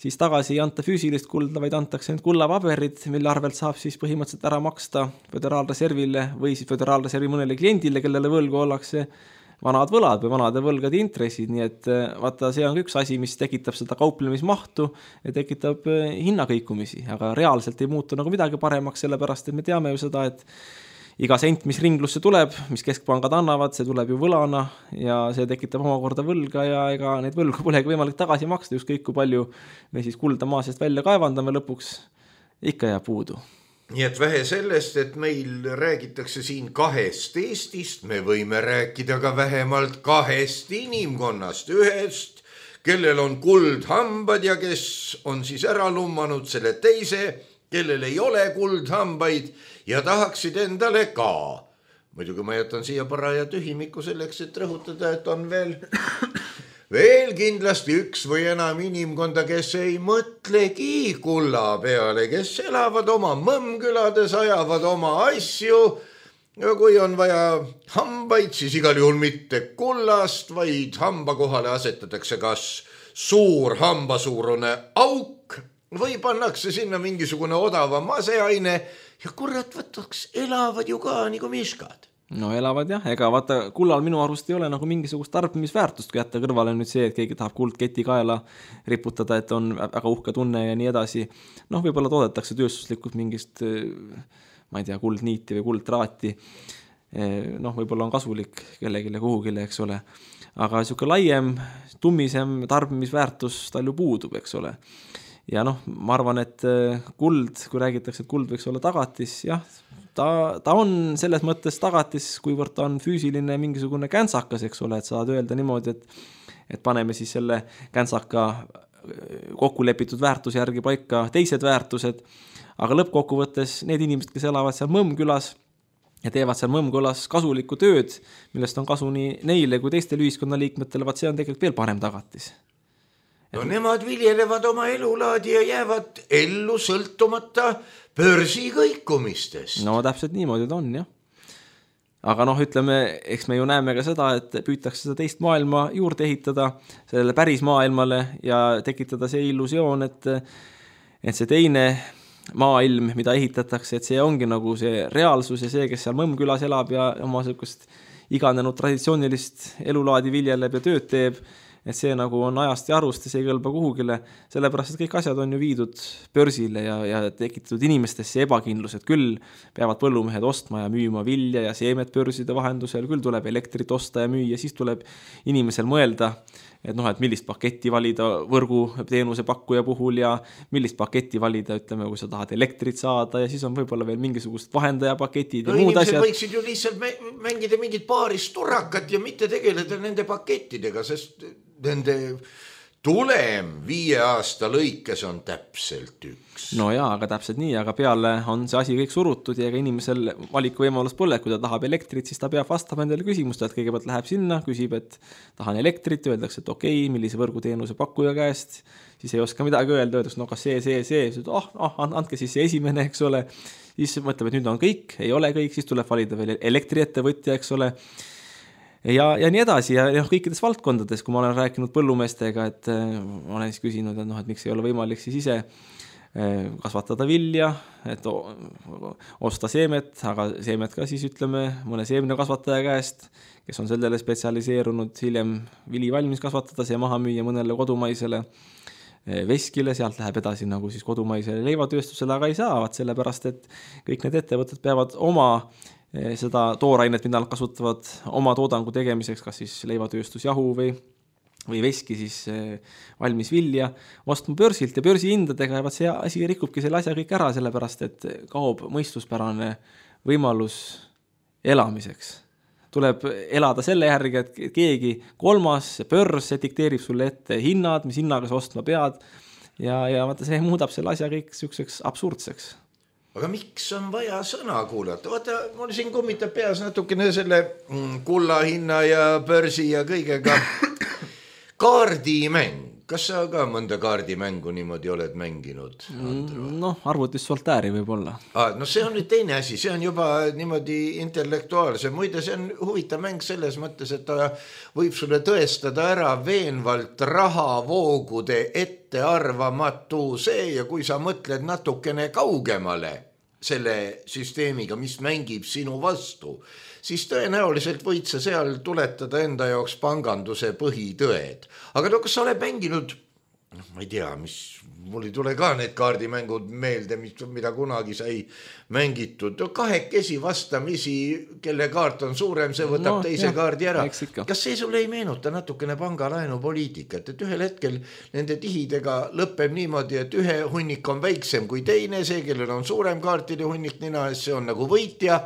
siis tagasi ei anta füüsilist kulda, vaid antakse need kullapaberid, mille arvelt saab siis põhimõtteliselt ära maksta föderaalreservile või siis föderaalreservi mõnele kliendile, kellele võlgu ollakse vanad võlad või vanade võlgade intressid, nii et vaata, see on üks asi, mis tekitab seda kauplemismahtu ja tekitab hinnakõikumisi, aga reaalselt ei muutu nagu midagi paremaks, sellepärast et me teame ju seda, et iga sent, mis ringlusse tuleb, mis keskpangad annavad, see tuleb ju võlana ja see tekitab omakorda võlga ja ega neid võlgu polegi võimalik tagasi maksta, ükskõik kui palju me siis kulda maa seest välja kaevandame lõpuks, ikka jääb puudu. nii et vähe sellest, et meil räägitakse siin 2 Eestist, me võime rääkida ka vähemalt 2 inimkonnast, ühest, kellel on kuldhambad ja kes on siis ära lummanud selle teise, kellel ei ole kuldhambaid ja tahaksid endale ka. Muidugi ma jätan siia paraja tühimiku selleks, et rõhutada, et on veel kindlasti üks või enam inimkonda, kes ei mõtlegi kulla peale, kes elavad oma mõmmkülades, ajavad oma asju ja kui on vaja hambaid, siis igal juhul mitte kullast, vaid hamba kohale asetatakse kas suur hambasuurune auk või pannakse sinna mingisugune odava maseaine ja kurat võtaks, elavad ju ka nagu miskad. No elavad jah, ega vaata kullal minu arust ei ole nagu mingisugust tarbimisväärtust, kui jätta kõrvale nüüd see, et keegi tahab kuldketi kaela riputada, et on väga uhke tunne ja nii edasi. Noh, võib-olla toodetakse tööstuslikult mingist, ma ei tea, kuldniiti või kuldtraati. Noh, võib-olla on kasulik kellegile kuhugile, eks ole. Aga niisugune laiem, tummisem tarbimisväärtus tal ju puudub, eks ole. Ja noh, ma arvan, et kuld, kui räägitakse, et kuld võiks olla tagatis, jah, ta on selles mõttes tagatis, kuivõrd ta on füüsiline mingisugune käntsakas, eks ole, et saad öelda niimoodi, et paneme siis selle käntsaka kokkulepitud väärtuse järgi paika teised väärtused, aga lõppkokkuvõttes need inimesed, kes elavad seal Mõmmkülas ja teevad seal Mõmmkülas kasulikku tööd, millest on kasu nii neile kui teistele ühiskonnaliikmetele, vaat see on tegelikult veel parem tagatis. No nemad viljelevad oma elulaadi ja jäävad ellu sõltumata börsi kõikumistest. No täpselt niimoodi ta on, jah. Aga noh, ütleme, eks me ju näeme ka seda, et püütakse seda teist maailma juurde ehitada sellele päris maailmale ja tekitada see illusioon, et see teine maailm, mida ehitatakse, et see ongi nagu see reaalsus ja see, kes seal Mõmmkülas elab ja oma sellist iganenud traditsioonilist elulaadi viljeleb ja tööd teeb, et see nagu on ajast ja arust ja see ei kõlba kuhugile, sellepärast, et kõik asjad on ju viidud börsile ja tekitatud inimestesse ebakindlus, et küll peavad põllumehed ostma ja müüma vilja ja seemet börside vahendusel, küll tuleb elektrit osta ja müüa, siis tuleb inimesel mõelda, et noh, et millist paketti valida võrgu teenuse pakkuja puhul ja millist paketti valida, ütleme, kui sa tahad elektrit saada ja siis on võib-olla veel mingisugused vahendajapaketid ja muud asjad. Inimesed võiksid ju lihtsalt mängida mingit paarist turrakat ja mitte tegeleda nende pakettidega, sest nende tulem 5 aasta lõikes on täpselt üks. No jaa, aga täpselt nii, aga peale on see asi kõik surutud ja ega inimesel valikuvõimalus pole, kui ta tahab elektrit, siis ta peab vastama endale küsimust, et kõigepealt läheb sinna, küsib, et tahan elektrit, öeldakse, et okei, millise võrguteenuse pakkuja käest, siis ei oska midagi öelda, öeldakse, no kas see, andke siis see esimene, eks ole, siis mõtleb, et nüüd on kõik, ei ole kõik, siis tuleb valida veel elektriettevõtja, eks ole, ja nii edasi ja kõikides valdkondades, kui ma olen rääkinud põllumeestega, et ma olen siis küsinud, et miks ei ole võimalik siis ise kasvatada vilja, et osta seemet, aga seemet ka siis ütleme mõne seemnekasvataja käest, kes on sellele spetsialiseerunud, hiljem vili valmis kasvatada, see maha müüa mõnele kodumaisele veskile, sealt läheb edasi nagu siis kodumaisele leivatööstusele, aga ei saa, sellepärast, et kõik need ettevõtted peavad oma seda toorainet, mida nad kasutavad oma toodangu tegemiseks, kas siis leivatööstusjahu või veski siis valmis vilja, ostma börsilt ja börsihindadega ja see asi rikubki selle asja kõik ära, sellepärast et kaob mõistuspärane võimalus elamiseks. Tuleb elada selle järgi, et keegi kolmas börs dikteerib sulle ette hinnad, mis hinnaga sa ostma pead ja vaata, see muudab selle asja kõik selliseks absurdseks. Aga miks on vaja sõna kuulata? Vaata, mul siin kummitab peas natukene selle kulla hinna ja börsi ja kõigega kaardimäng. Kas sa ka mõnda kaardimängu niimoodi oled mänginud? Noh, arvutis Soltääri võib-olla. No see on nüüd teine asi, see on juba niimoodi intellektuaalse. Muide, see on huvitav mäng selles mõttes, et ta võib sulle tõestada ära veenvalt rahavoogude ettearvamatuse ja kui sa mõtled natukene kaugemale selle süsteemiga, mis mängib sinu vastu, siis tõenäoliselt võid sa seal tuletada enda jaoks panganduse põhitõed. Aga kas sa oled mänginud ma ei tea, mul ei tule ka need kaardimängud meelde, mida kunagi sai mängitud. Kahekesi vastamisi, kelle kaart on suurem, see võtab teise kaardi ära. Kas see sulle ei meenuta natukene pangalaenupoliitikat, et ühel hetkel nende tihidega lõpeb niimoodi, et ühe hunnik on väiksem kui teine, see, kellel on suurem kaartide hunnik nina ees, see on nagu võitja.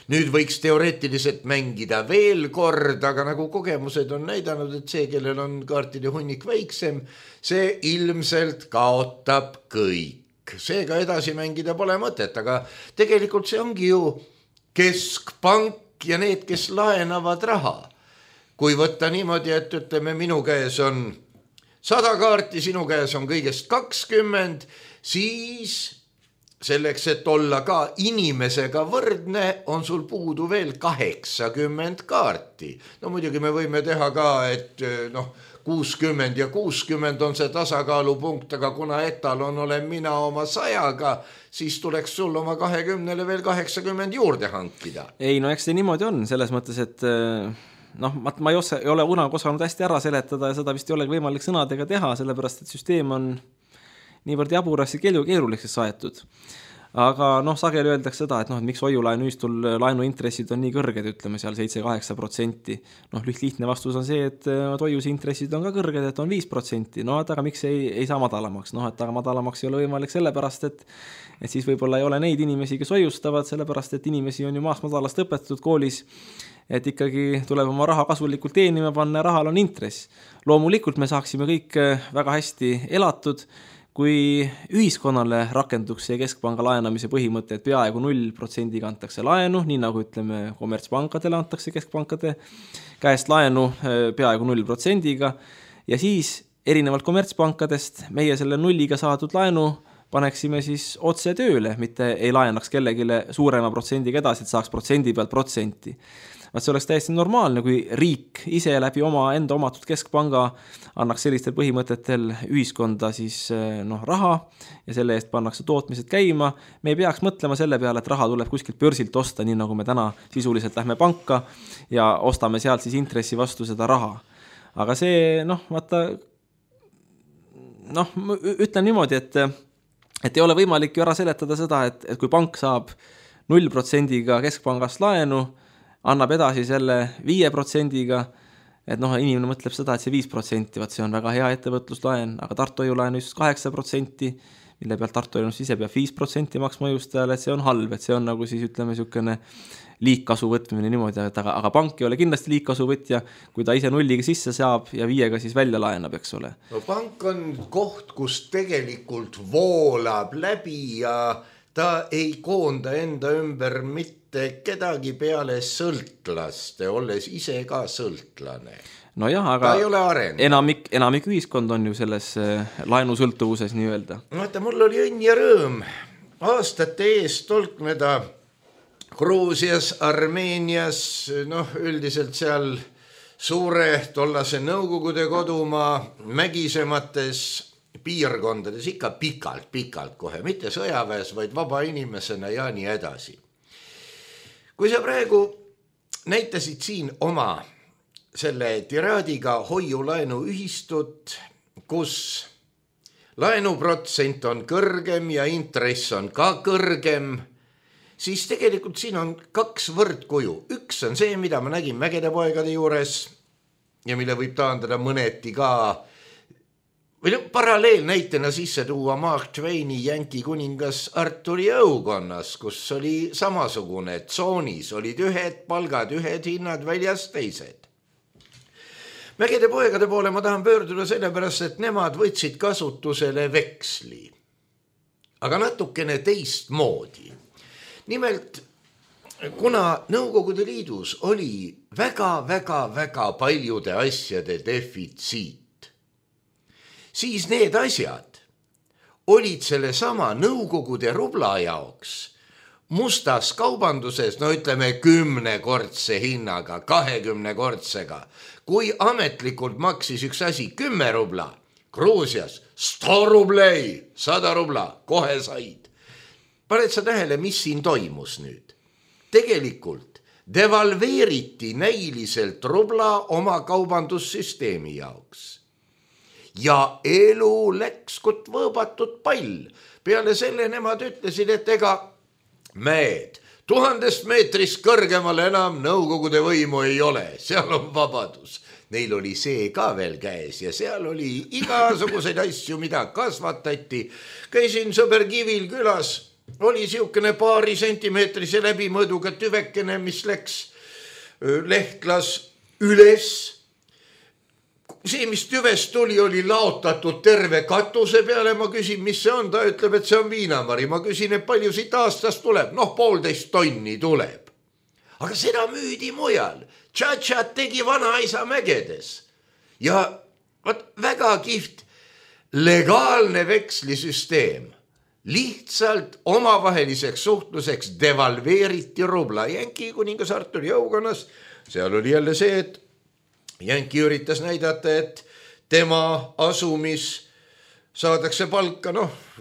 Nüüd võiks teoreetiliselt mängida veel kord, aga nagu kogemused on näidanud, et see, kellel on kaartide hunnik väiksem, see ilmselt kaotab kõik. Seega edasi mängida pole mõtet, aga tegelikult see ongi ju keskpank ja need, kes laenavad raha. Kui võtta niimoodi, et ütleme, minu käes on 100 kaarti, sinu käes on kõigest 20, siis selleks, et olla ka inimesega võrdne, on sul puudu veel 80 kaarti. No muidugi me võime teha ka, et 60 ja 60 on see tasakaalupunkt, aga kuna etalon olen mina oma 100-ga, siis tuleks sul oma 20-le veel 80 juurde hankida. Ei, no eks see niimoodi on, selles mõttes, et ma ei ole kunagi osanud hästi ära seletada ja seda vist ei ole võimalik sõnadega teha, sellepärast, et süsteem on niivõrd jaburas ja keeruliseks saetud. Aga sageli öeldakse seda, et miks hoiulaenuühistul laenuintressid on nii kõrged, ütleme seal 7-8%. Lihtne vastus on see, et hoiuse intressid on ka kõrged, et on 5%. Aga miks ei saa madalamaks? Aga madalamaks ei ole võimalik sellepärast, et siis võib-olla ei ole neid inimesi, kes hoiustavad, sellepärast, et inimesi on ju maast madalast õpetatud koolis, et ikkagi tuleb oma raha kasulikult teenima panna ja rahal on intress. Loomulikult me saaksime kõik väga hästi elatud, kui ühiskonnale rakenduks see keskpanga laenamise põhimõte, et peaaegu 0% antakse laenu, nii nagu ütleme kommertspankadele antakse keskpankade käest laenu peaaegu 0%-ga ja siis erinevalt kommertspankadest meie selle 0-ga saadud laenu paneksime siis otse tööle, mitte ei laenaks kellegile suurema protsendiga edasi, et saaks protsendi pealt protsenti. See oleks täiesti normaalne, kui riik ise läbi enda omatud keskpanga annaks sellistel põhimõtetel ühiskonda siis raha ja selle eest pannakse tootmised käima. Me ei peaks mõtlema selle peale, et raha tuleb kuskilt börsilt osta, nii nagu me täna sisuliselt lähme panka ja ostame sealt siis intressi vastu seda raha. Aga see, ütlen niimoodi, et ei ole võimalik ju ära seletada seda, et kui pank saab 0%-ga keskpangast laenu, annab edasi selle 5%-ga, et inimene mõtleb seda, et see 5%, see on väga hea ettevõtluslaen, aga Tartu hoiulaen just 8%, mille pealt Tartu hoiulaen ise peab 5% maksma hoiustajale, et see on halb, et see on nagu siis ütleme niisugune liigkasu võtmine niimoodi, aga pank ei ole kindlasti liigkasu võtja, kui ta ise 0-ga sisse saab ja 5-ga siis välja laenab, eks ole. Pank on koht, kus tegelikult voolab läbi ja ta ei koonda enda ümber mitte kedagi peale sõltlaste, olles ise ka sõltlane. Aga ta ei ole arenenud. Enamik ühiskond on ju selles laenusõltuvuses nii öelda. Mul oli õnn ja rõõm aastate eest tolkneda Gruusias, Armeenias, üldiselt seal suure tollase Nõukogude kodumaa mägisemates piirkondades ikka pikalt kohe, mitte sõjaväes, vaid vaba inimesena ja nii edasi. Kui sa praegu näitasid siin oma selle tiraadiga hoiulaenu ühistut, kus laenuprotsent on kõrgem ja intress on ka kõrgem, siis tegelikult siin on 2 võrdkuju. Üks on see, mida ma nägin Mägede poegade juures ja mille võib taandada mõneti ka või paralleelnäitena sisse tuua Mark Twaini Jänki kuningas Arturi õukonnas, kus oli samasugune, tsoonis olid ühed palgad, ühed hinnad väljas teised. Mägede poegade poole ma tahan pöörduda sellepärast, et nemad võtsid kasutusele veksli, aga natukene teistmoodi. Nimelt, kuna Nõukogude Liidus oli väga paljude asjade defitsiit, siis need asjad olid selle sama Nõukogude rubla jaoks mustas kaubanduses, ütleme 10-kordse hinnaga, 20-kordsega. Kui ametlikult maksis üks asi 10 rubla, Gruusias 100 rublei, 100 rubla, kohe said. Paned sa tähele, mis siin toimus nüüd? Tegelikult devalveeriti näiliselt rubla oma kaubandussüsteemi jaoks. ja elu läks kot võõbatud pall. Peale selle nemad ütlesid, et ega mehed 1000 meetrist kõrgemale enam nõukogude võimu ei ole, seal on vabadus. Neil oli see ka veel käes ja seal oli igasuguseid asju, mida kasvatati. Käisin sõber Kivil külas, oli siukene paari sentimeetrise läbimõõduga tüvekene, mis läks lehtlas üles. See, mis tüvest tuli, oli laotatud terve katuse peale. Ma küsin, mis see on? Ta ütleb, et see on viinamari. Ma küsin, et palju siit aastast tuleb? 1,5 tonni tuleb. Aga seda müüdi mujal. Tšatšat tegi vanaisa mägedes. Ja väga kihvt legaalne vekslisüsteem. Lihtsalt omavaheliseks suhtluseks devalveeriti rubla. Jänki kuningas Artur jõukonnas. Seal oli jälle see, et Jänki üritas näidata, et tema asumis saadakse palka,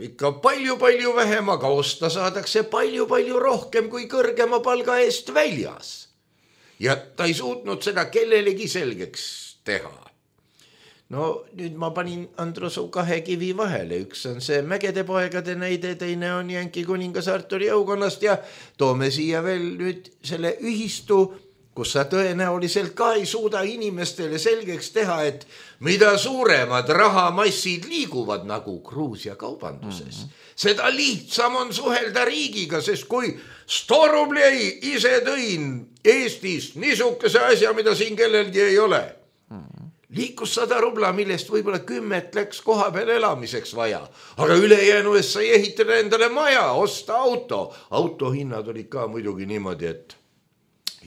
ikka palju vähem, aga osta saadakse palju rohkem kui kõrgema palga eest väljas. Ja ta ei suutnud seda kellelegi selgeks teha. No nüüd ma panin Androsu 2 kivi vahele. Üks on see Mägede poegade näide, teine on Jänki kuningas Artur jõukonnast ja toome siia veel nüüd selle ühistu, kus sa tõenäoliselt ka ei suuda inimestele selgeks teha, et mida suuremad rahamassid liiguvad nagu Gruusia kaubanduses, seda lihtsam on suhelda riigiga, sest kui 100 rublei ise tõin Eestist niisuguse asja, mida siin kellelgi ei ole, liikus 100 rubla, millest võib-olla 10 läks koha peal elamiseks vaja, aga ülejäänu eest sai ehitada endale maja, osta auto. Autohinnad olid ka muidugi niimoodi, et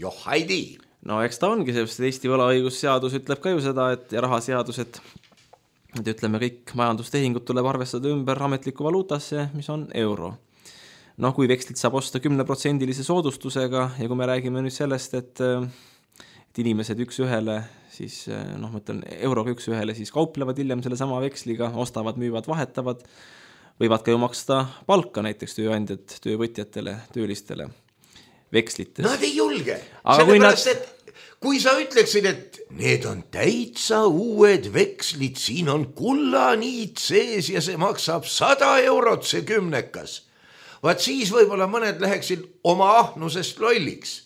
joh, haidi. No eks ta ongi, sest Eesti võlaõigusseadus ütleb ka ju seda, et ja rahaseadus, et ütleme kõik majandustehingud tuleb arvestada ümber ametliku valuutasse, mis on euro. No kui vekslit saab osta 10% soodustusega ja kui me räägime nüüd sellest, et inimesed üks ühele, siis mõtlen euroga üks ühele, siis kauplevad hiljem selle sama veksliga, ostavad, müüvad, vahetavad, võivad ka ju maksta palka näiteks tööandjad, töövõtjatele, töölistele vekslites. Nad ei julge, sellepärast, et kui sa ütleksid, et need on täitsa uued vekslid, siin on kullaniit sees ja see maksab 100 eurot see 10-kas. Vaat siis võib-olla mõned läheksid oma ahnusest lolliks.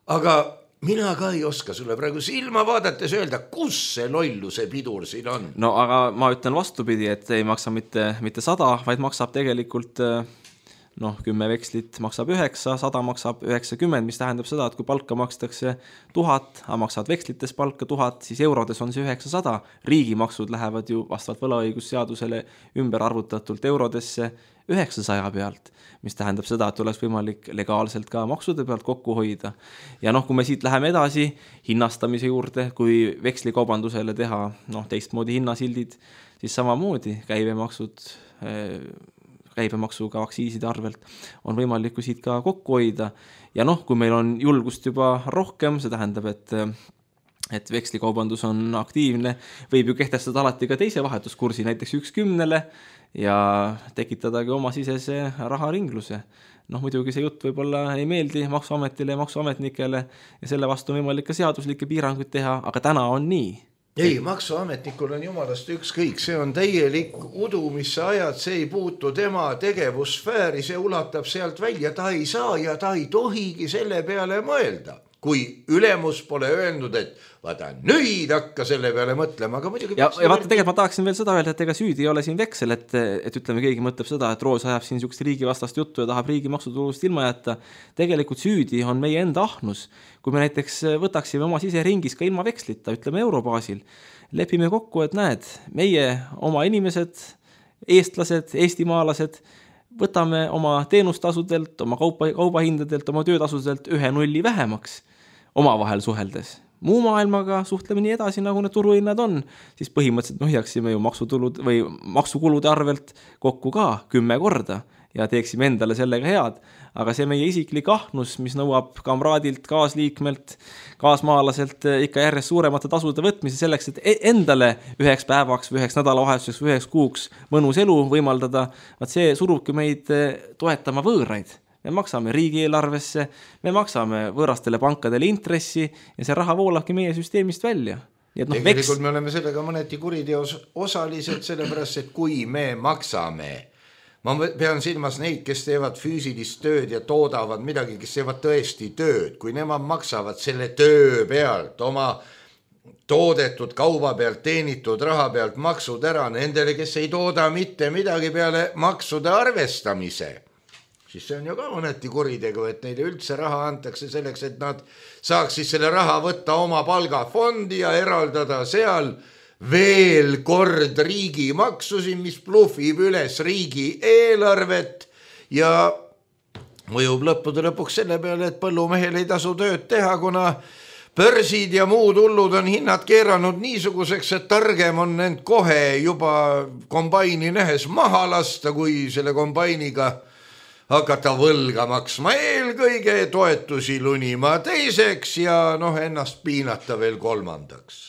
Aga mina ka ei oska sulle praegu silma vaadates öelda, kus see lolluse pidur siin on. No aga ma ütlen vastupidi, et ei maksa mitte 100, vaid maksab tegelikult 10 vekslit maksab 9, 100 maksab 90, mis tähendab seda, et kui palka makstakse 1000, aga maksavad vekslites palka 1000, siis eurodes on see 900. Riigimaksud lähevad ju vastavalt võlaõigusseadusele ümber arvutatult eurodesse 900 pealt, mis tähendab seda, et oleks võimalik legaalselt ka maksude pealt kokku hoida. Ja kui me siit läheme edasi hinnastamise juurde, kui vekslikaubandusele teha teistmoodi hinnasildid, siis samamoodi käibemaksuga aktsiiside arvelt on võimalik siit ka kokku hoida. Ja kui meil on julgust juba rohkem, see tähendab, et vekslikaubandus on aktiivne, võib ju kehtestada alati ka teise vahetuskursi, näiteks 1:10 ja tekitadagi oma sisese raharingluse. Muidugi see jutt võib-olla ei meeldi maksuametile ja maksuametnikele ja selle vastu on võimalik ka seaduslikke piiranguid teha, aga täna on nii. Ei, maksuametnikul on jumalast ükskõik, see on täielik udu, mis sa ajad, see ei puutu tema tegevussfääri, see ulatab sealt välja, ta ei saa ja ta ei tohigi selle peale mõelda. Kui ülemus pole öelnud, et vaata nüüd hakka selle peale mõtlema, aga muidugi... Ja vaata, tegelikult ma tahaksin veel seda öelda, et ega süüdi ei ole siin veksel, et ütleme, keegi mõtleb seda, et Roos ajab siin niisugust riigivastast juttu ja tahab riigi maksutulust ilma jätta. Tegelikult süüdi on meie enda ahnus. Kui me näiteks võtaksime oma siseringis ka ilma vekslita, ütleme eurobaasil, lepime kokku, et näed, meie oma inimesed, eestlased, eestimaalased, võtame oma teenustasudelt, oma kaubahindadelt, oma töötasudelt 1 nulli vähemaks omavahel suheldes. Muu maailmaga suhtleme nii edasi, nagu need turuhinnad on, siis põhimõtteliselt me hoiaksime ju maksutulud või maksukulude arvelt kokku ka 10 korda ja teeksime endale sellega head. Aga see meie isiklik ahnus, mis nõuab kamraadilt, kaasliikmelt, kaasmaalaselt ikka järjest suuremate tasude võtmise selleks, et endale 1 päevaks või 1 nädalavahetuseks või 1 kuuks mõnus elu võimaldada, see surubki meid toetama võõraid. Me maksame riigieelarvesse, me maksame võõrastele pankadele intressi ja see raha voolabki meie süsteemist välja. Tegelikult me oleme sellega mõneti kuriteos osalised, sellepärast, et kui me maksame, ma pean silmas neid, kes teevad füüsilist tööd ja toodavad midagi, kes teevad tõesti tööd, kui nemad maksavad selle töö pealt, oma toodetud kauba pealt, teenitud raha pealt maksud ära nendele, kes ei tooda mitte midagi peale maksude arvestamise, siis see on ju ka mõneti kuritegu, et neile üldse raha antakse selleks, et nad saaks siis selle raha võtta oma palgafondi ja eraldada seal veel kord riigimaksusi, mis bluffib üles riigi eelarvet ja mõjub lõppude lõpuks selle peale, et põllumehel ei tasu tööd teha, kuna börsid ja muud hullud on hinnad keeranud niisuguseks, et targem on end kohe juba kombaini nähes maha lasta, kui selle kombainiga hakata võlga maksma eelkõige, toetusi lunima teiseks ja ennast piinata veel kolmandaks.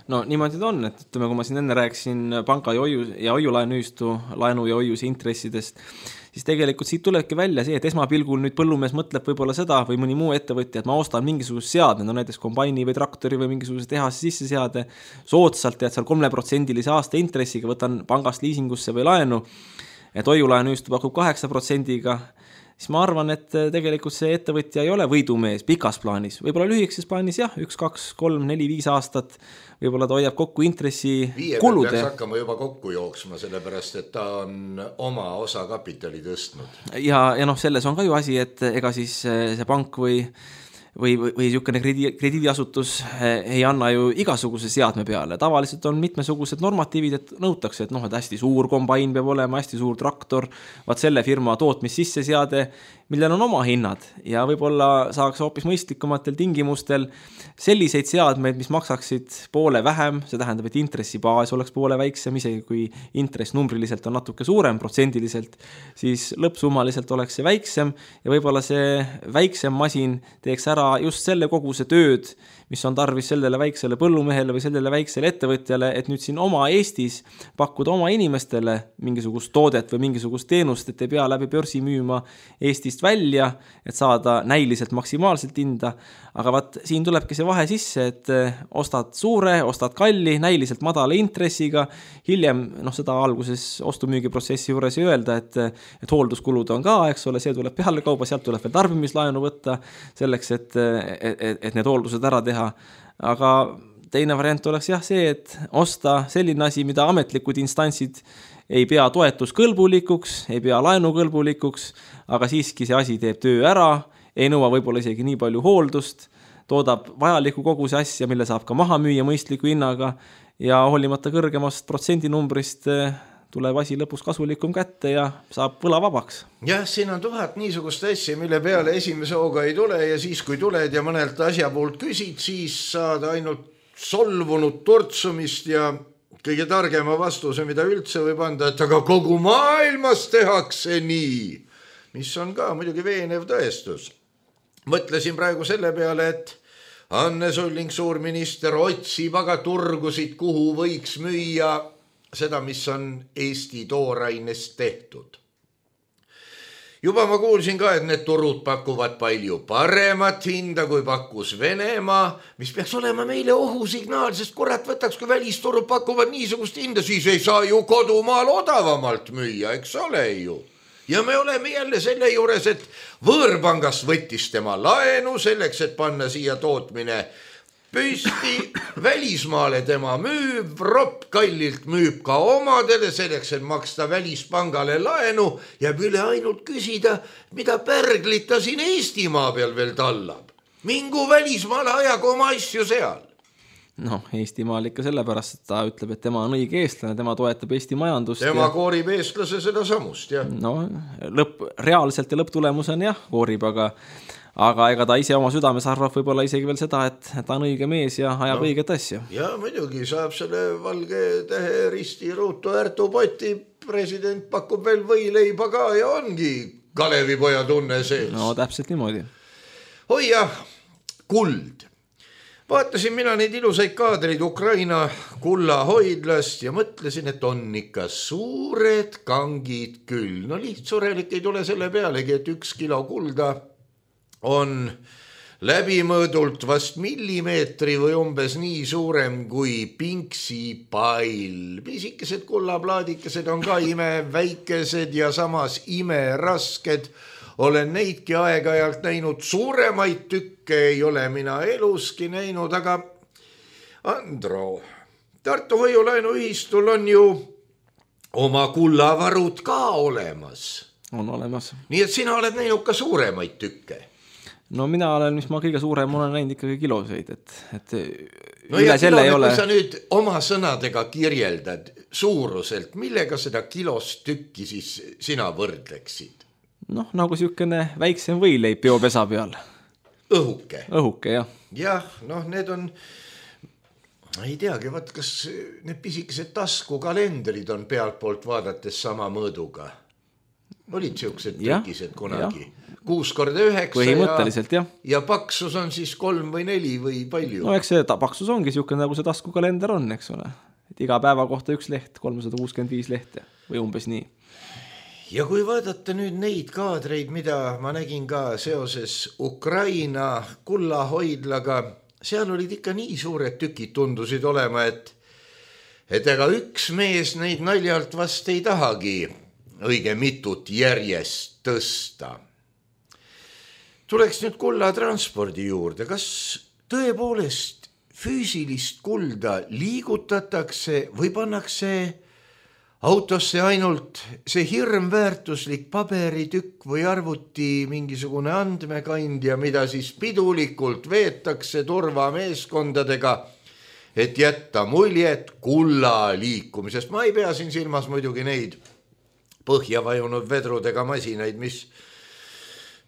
No niimoodi ta on, et ütleme, kui ma siin enne rääkisin panga ja hoiulaenuühistu laenu ja hoiuse intressidest, siis tegelikult siit tulebki välja see, et esmapilgul nüüd põllumees mõtleb võib-olla seda või mõni muu ettevõtja, et ma ostan mingisugust seadme, näiteks kombaini või traktori või mingisuguse tehase sisse seade soodsalt ja seal 3% aasta intressiga võtan pangast liisingusse või laenu, et hoiulaenuühistu pakub 8%-ga, siis ma arvan, et tegelikult see ettevõtja ei ole võidumees pikas plaanis. Võib-olla lühikeses plaanis jah, 1, 2, 3, 4, 5 aastat, võib-olla ta hoiab kokku intressi kulude. Peaks hakkama juba kokku jooksma, sellepärast, et ta on oma osa kapitali tõstnud. Ja selles on ka ju asi, et ega siis see pank või niisugune krediidiasutus ei anna ju igasuguse seadme peale. Tavaliselt on mitmesugused normatiivid, et nõutakse, et et hästi suur kombain peab olema, hästi suur traktor, vaat selle firma tootmis sisseseade, millel on oma hinnad ja võib-olla saaks hoopis mõistlikumatel tingimustel selliseid seadmeid, mis maksaksid poole vähem, see tähendab, et intressibaas oleks poole väiksem, isegi kui intress numbriliselt on natuke suurem protsendiliselt, siis lõppsummaliselt oleks see väiksem ja võib-olla see väiksem masin teeks ära just selle koguse tööd, mis on tarvis sellele väiksele põllumehele või sellele väiksele ettevõtjale, et nüüd siin oma Eestis pakkuda oma inimestele mingisugust toodet või mingisugust teenust, et ei pea läbi börsi müüma Eestist välja, et saada näiliselt maksimaalselt hinda, aga vaat siin tulebki see vahe sisse, et ostad suure, ostad kalli, näiliselt madala intressiga, hiljem, seda alguses ostumüügiprotsessi juures ei öelda, et hoolduskulud on ka, eks ole, see tuleb peale kauba, sealt tuleb veel tarbimislaenu võtta selleks, et need hooldused ära teha. Aga teine variant oleks jah see, et osta selline asi, mida ametlikud instantsid ei pea toetuskõlbulikuks, ei pea laenukõlbulikuks, aga siiski see asi teeb töö ära, ei nõua võib-olla isegi nii palju hooldust, toodab vajaliku koguse asja, mille saab ka maha müüa mõistliku hinnaga ja hoolimata kõrgemast protsendinumbrist tuleb asi lõpus kasulikum kätte ja saab võla vabaks. Jah, siin on 1000 niisugust asja, mille peale esimese hooga ei tule ja siis, kui tuled ja mõnelt asja poolt küsid, siis saad ainult solvunud tortsumist ja kõige targema vastuse, mida üldse võib anda, et aga kogu maailmas tehakse nii, mis on ka muidugi veenev tõestus. Mõtlesin praegu selle peale, et Anne Sulling, suurminister, otsib aga turgusid, kuhu võiks müüa seda, mis on Eesti toorainest tehtud. Juba ma kuulsin ka, et need turud pakuvad palju paremat hinda, kui pakkus Venemaa, mis peaks olema meile ohusignaal, sest kurat võtaks, kui välisturud pakuvad niisugust hinda, siis ei saa ju kodumaal odavamalt müüa, eks ole ju. Ja me oleme jälle selle juures, et võõrpangast võttis tema laenu selleks, et panna siia tootmine püsti, välismaale tema müüb, ropp kallilt müüb ka omadele selleks, et maksta välispangale laenu, jääb üle ainult küsida, mida pärglit ta siin Eestimaa peal veel tallab. Mingu välismaale ajagu oma asju seal. Eestimaal ikka sellepärast, et ta ütleb, et tema on õige eestlane, tema toetab Eesti majandust. Tema koorib eestlase seda samust, jah. Reaalselt ja lõpptulemusena jah, koorib, aga ega ta ise oma südames arvab võib-olla isegi veel seda, et ta on õige mees ja ajab õiget asja. Ja muidugi saab selle valge tähe risti ruutu ärtupoti, president pakub veel võileiba ka ja ongi Kalevipoja tunne sees. Täpselt niimoodi. Oi jah, kuld. Vaatasin mina neid ilusaid kaadreid Ukraina kullahoidlast ja mõtlesin, et on ikka suured kangid küll. Lihtsurelik ei tule selle pealegi, et 1 kilo kulda on läbimõõdult vast millimeetri või umbes nii suurem kui pinksipail. Pisikesed kullaplaadikesed on ka imeväikesed ja samas imerasked. Olen neidki aeg-ajalt näinud, suuremaid tükke ei ole mina eluski näinud, aga Andro, Tartu Hoiulaenuühistul on ju oma kullavarud ka olemas. On olemas. Nii et sina oled näinud ka suuremaid tükke. No mina olen, mis ma kõige suurem olen näinud ikkagi kiloseid, et no üle selle ei ole. Kui sa nüüd oma sõnadega kirjeldad suuruselt, millega seda kilost tükki siis sina võrdleksid? Noh, nagu siukene väiksem võileib biopesa peal. Õhuke. Õhuke, jah. Jah, noh, need on, ei teagi, vaat kas need pisikesed taskukalendrid on pealt poolt vaadates sama mõõduga. Olid siuksed tükised kunagi. 6x9 põhimõtteliselt, ja paksus on siis 3 või 4 või palju. No eks see paksus ongi siuke nagu see taskukalender on, eks ole. Et iga päeva kohta üks leht, 365 lehte või umbes nii. Ja kui vaadata nüüd neid kaadreid, mida ma nägin ka seoses Ukraina kullahoidlaga, seal olid ikka nii suured tükid tundusid olema, et ega üks mees neid naljalt vast ei tahagi õige mitut järjest tõsta. Tuleks nüüd kullatranspordi juurde. Kas tõepoolest füüsilist kulda liigutatakse või pannakse autosse ainult see hirmväärtuslik paberitükk või arvuti mingisugune andmekandja, mida siis pidulikult veetakse turvameeskondadega, et jätta muljet kulla liikumisest. Ma ei pea siin silmas muidugi neid põhja vajunud vedrudega masinaid, mis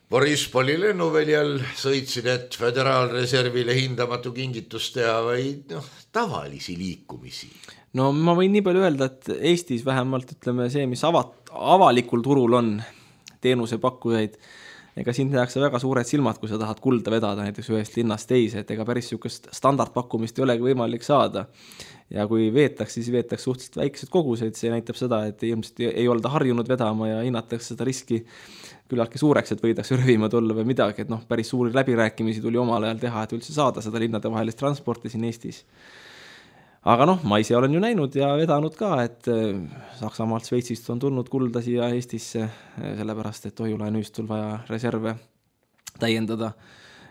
Borispoli lennuväljal sõitsid, et föderaalreservile hindamatu kingitust teha, või tavalisi liikumisi. No ma võin nii palju öelda, et Eestis vähemalt ütleme see, mis avalikul turul on teenusepakkujaid, ega siin tehakse väga suured silmad, kui sa tahad kulda vedada näiteks ühest linnast teise, et ega päris siukest standardpakkumist ei olegi võimalik saada. Ja kui veetakse, siis veetakse suhteliselt väikesed kogused, see näitab seda, et ilmselt ei olda harjunud vedama ja hinnatakse seda riski küllaltki suureks, et võidakse rövima tulla või midagi, et päris suuri läbirääkimisi tuli omal ajal teha, et üldse saada seda linnade vahelist transporti siin Eestis. Aga ma ise olen ju näinud ja vedanud ka, et Saksamaalt Sveitsist on tulnud kulda siia Eestisse, sellepärast, et Hoiulaenuühistul vaja reserve täiendada.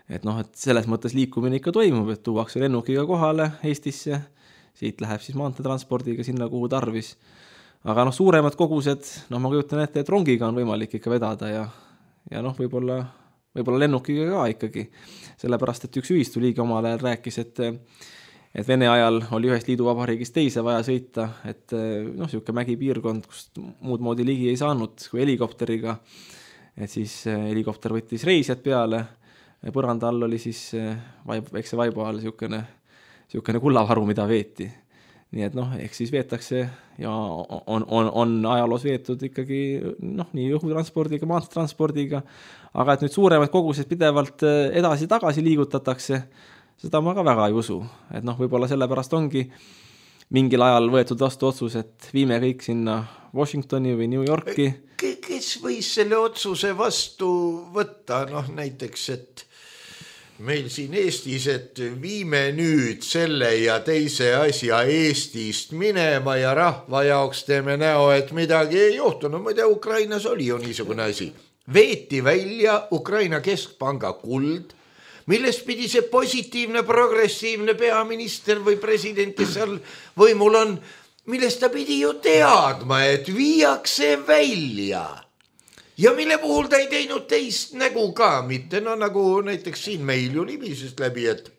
Et selles mõttes liikumine ikka toimub, et tuuakse lennukiga kohale Eestisse, siit läheb siis maanteetranspordiga sinna, kuhu tarvis. Aga suuremad kogused, ma kujutan ette, et rongiga on võimalik ikka vedada ja võib-olla lennukiga ka ikkagi. Sellepärast, et üks ühistuliige omal ajal rääkis, et Vene ajal oli ühest liiduvabariigist teise vaja sõita, et siuke mägipiirkond, kust muud moodi ligi ei saanud kui helikopteriga. Et siis helikopter võttis reisjad peale, põranda all oli siis väikse vaiba all siukene kullavaru, mida veeti. Nii et eks siis veetakse ja on ajaloos veetud ikkagi nii õhutranspordiga, maanteetranspordiga, aga et nüüd suuremad kogused pidevalt edasi-tagasi liigutatakse, seda ma ka väga ei usu. Et võib-olla sellepärast ongi mingil ajal võetud vastu otsus, et viime kõik sinna Washingtoni või New Yorki. Kes võis selle otsuse vastu võtta? Näiteks, et meil siin Eestis, et viime nüüd selle ja teise asja Eestist minema ja rahva jaoks teeme näo, et midagi ei juhtunud. Ma ei tea, Ukrainas oli ju niisugune asi. Veeti välja Ukraina keskpanga kuld, millest pidi see positiivne, progressiivne peaminister või president, kes seal võimul on, millest ta pidi ju teadma, et viiakse välja. Ja mille puhul ta ei teinud teist nägu ka mitte, nagu näiteks siin meil ju libisest läbi, et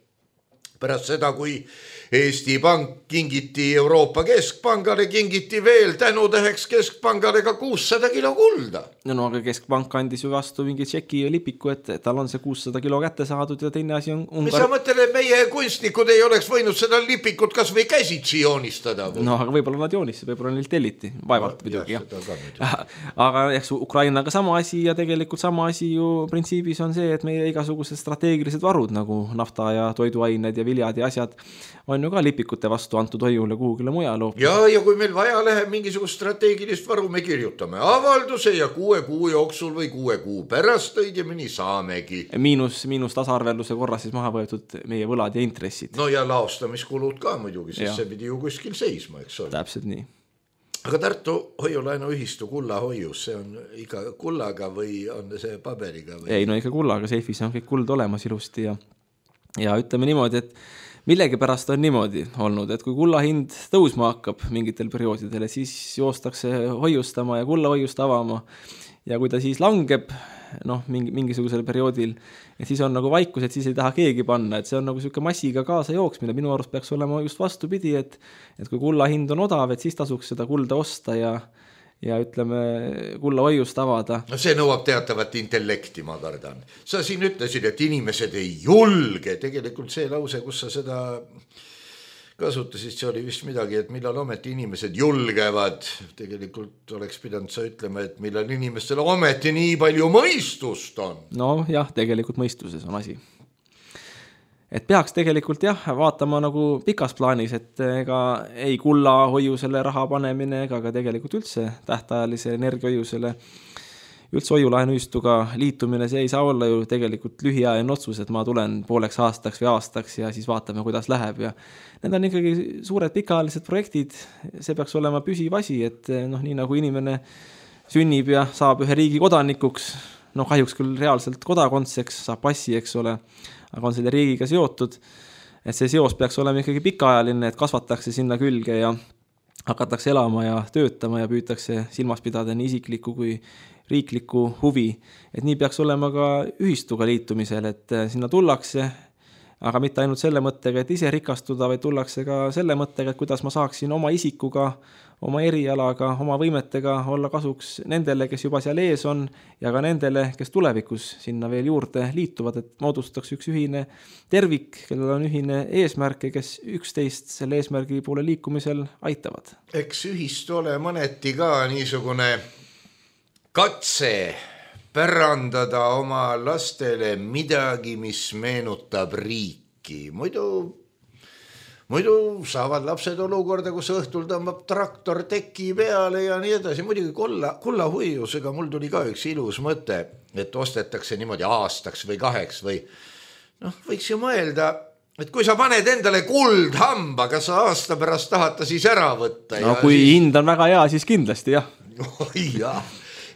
pärast seda, kui Eesti Pank kingiti Euroopa Keskpangale, kingiti veel tänutäheks Keskpangale ka 600 kilo kulda. Aga Keskpank andis ju vastu mingi tšeki ja lipiku, et tal on see 600 kilo kätte saadud ja teine asi on Mis sa mõtled, et meie kunstnikud ei oleks võinud seda lipikut kas või käsitsi joonistada? Aga võib-olla nad joonistada, võib-olla neil telliti, vaevalt muidugi, jah. Aga eks Ukrainaga sama asi ja tegelikult sama asi ju printsiibis on see, et meie igasugused strateegilised varud nagu nafta ja toiduained ja viljad ja asjad on ju ka lipikute vastu antud hoiule kuhugile mujale. Ja kui meil vaja läheb mingisugust strateegilist varu, me kirjutame avalduse ja 6 kuu jooksul või 6 kuu pärast õigemini saamegi. Miinus tasarvelluse korras siis maha võetud meie võlad ja intressid. No ja laostamiskulud ka muidugi, sest see pidi ju kuskil seisma, eks ole. Täpselt nii. Aga Tartu hoiulaenuühistu kullahoius, see on ikka kullaga või on see paberiga? Või? Ei, no ikka kullaga, seifis on kõik kuld olemas ilusti ja ütleme niimoodi, et millegipärast on niimoodi olnud, et kui kulla hind tõusma hakkab mingitel perioodidel, siis joostakse hoiustama ja kulla hoiust avama ja kui ta siis langeb mingisugusel perioodil, et siis on nagu vaikus, et siis ei taha keegi panna, et see on nagu selline massiga kaasa jooksmine, minu arust peaks olema just vastupidi, et kui kulla hind on odav, et siis tasuks seda kulda osta ja ütleme kulla hoiust avada. No see nõuab teatavat intellekti, ma kardan. Sa siin ütlesid, et inimesed ei julge, tegelikult see lause, kus sa seda kasutasid, see oli vist midagi, et millal ometi inimesed julgevad, tegelikult oleks pidanud sa ütlema, et millal inimestel ometi nii palju mõistust on. No jah, tegelikult mõistuses on asi. Et peaks tegelikult vaatama nagu pikas plaanis, et ega ei kulla hoiusele raha panemine, ega ka tegelikult üldse tähtajalise energiahoiusele üldse hoiulaenuühistuga liitumine, see ei saa olla ju tegelikult lühiajaline otsus, et ma tulen pooleks aastaks või aastaks ja siis vaatame, kuidas läheb ja need on ikkagi suured pikaajalised projektid, see peaks olema püsiv asi, et nii nagu inimene sünnib ja saab ühe riigi kodanikuks, kahjuks küll reaalselt kodakondseks, saab passi, eks ole, aga on selle riigiga seotud, et see seos peaks olema ikkagi pikaajaline, et kasvatakse sinna külge ja hakatakse elama ja töötama ja püütakse silmas pidada nii isiklikku kui riiklikku huvi, et nii peaks olema ka ühistuga liitumisel, et sinna tullakse, aga mitte ainult selle mõttega, et ise rikastuda, vaid tullakse ka selle mõttega, et kuidas ma saaksin oma isikuga, oma erialaga, oma võimetega olla kasuks nendele, kes juba seal ees on ja ka nendele, kes tulevikus sinna veel juurde liituvad, et moodustaks üks ühine tervik, kellel on ühine eesmärk ja kes üksteist selle eesmärgi poole liikumisel aitavad. Eks ühistu ole mõneti ka niisugune katse pärandada oma lastele midagi, mis meenutab riiki. Muidu saavad lapsed olukorda, kus õhtul tõmbab traktor teki peale ja nii edasi. Muidugi kullahoiusega mul tuli ka üks ilus mõte, et ostetakse niimoodi aastaks või 2 või võiks ju mõelda, et kui sa paned endale kuldhamba, kas sa aasta pärast tahad ta siis ära võtta? No kui hind on väga hea, siis kindlasti jah. Jah.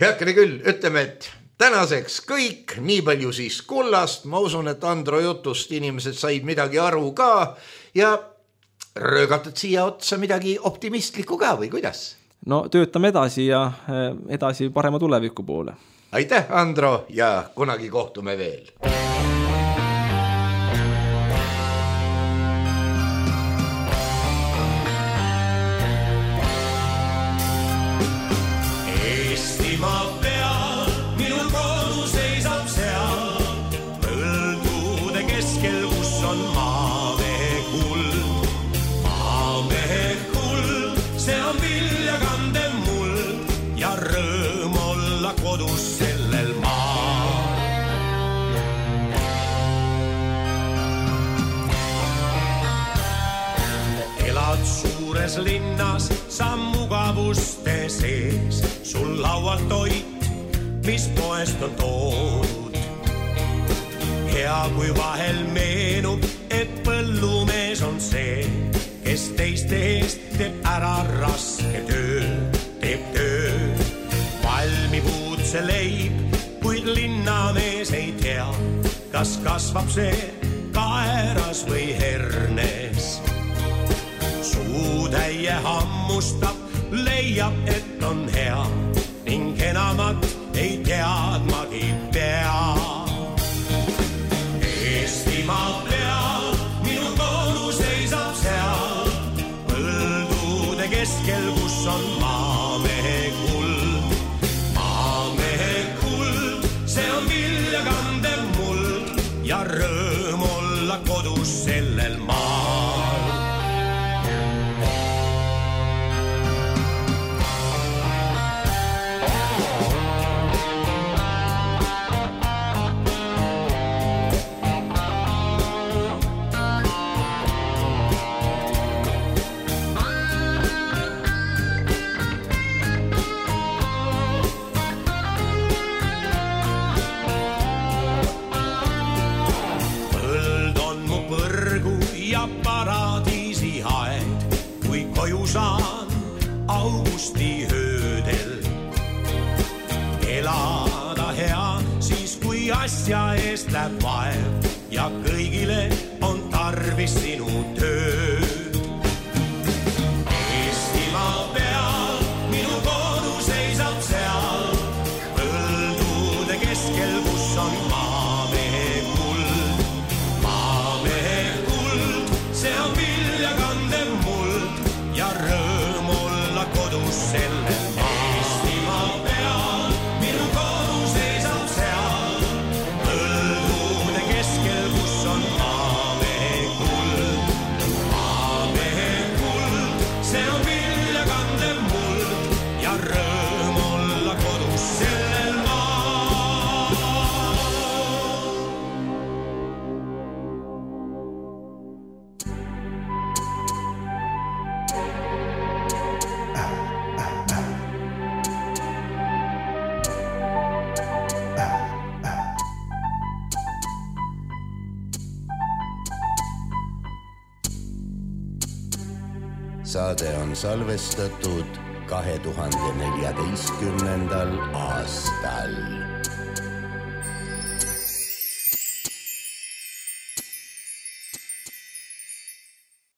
Heakene küll, ütleme, et tänaseks kõik, nii palju siis kullast, ma usun, et Andro jutust inimesed said midagi aru ka ja röögatad siia otsa midagi optimistlikku ka või kuidas? No töötame edasi ja edasi parema tuleviku poole. Aitäh, Andro, ja kunagi kohtume veel. Suures linnas sa mugavuste sees, sul laual toit, mis poest on toodud. Hea kui vahel meenub, et põllumees on see, kes teiste eest teeb ära raske töö, teeb töö. Valmib uudse leib, kuid linnamees ei tea, kas kasvab see kaeras või hernes. Suutäie hammustab, leiab, et on hea ning enamat ei teadmagi pea. Eestimaa peal, minu kodu seisab seal, põldude keskel, kus on maamehe kuld. Maamehe kuld, see on vilja kandev muld ja rõõm olla kodus sellel maal. asja eest läheb vaev ja kõigile on tarvis sinu tööd. Eestimaa peal minu kodu seisab seal, põldude keskel, kus on maamehe kuld. Maamehe kuld, see on vilja kandev muld ja rõõm olla kodus selle maal. Eestimaa peal minu kodu seisab seal, põldude keskel, kus on maamehe kuld. Maamehe kuld, see on vilja kandev muld ja rõõm olla kodus sellel maal. Saade on salvestatud 2014. aastal.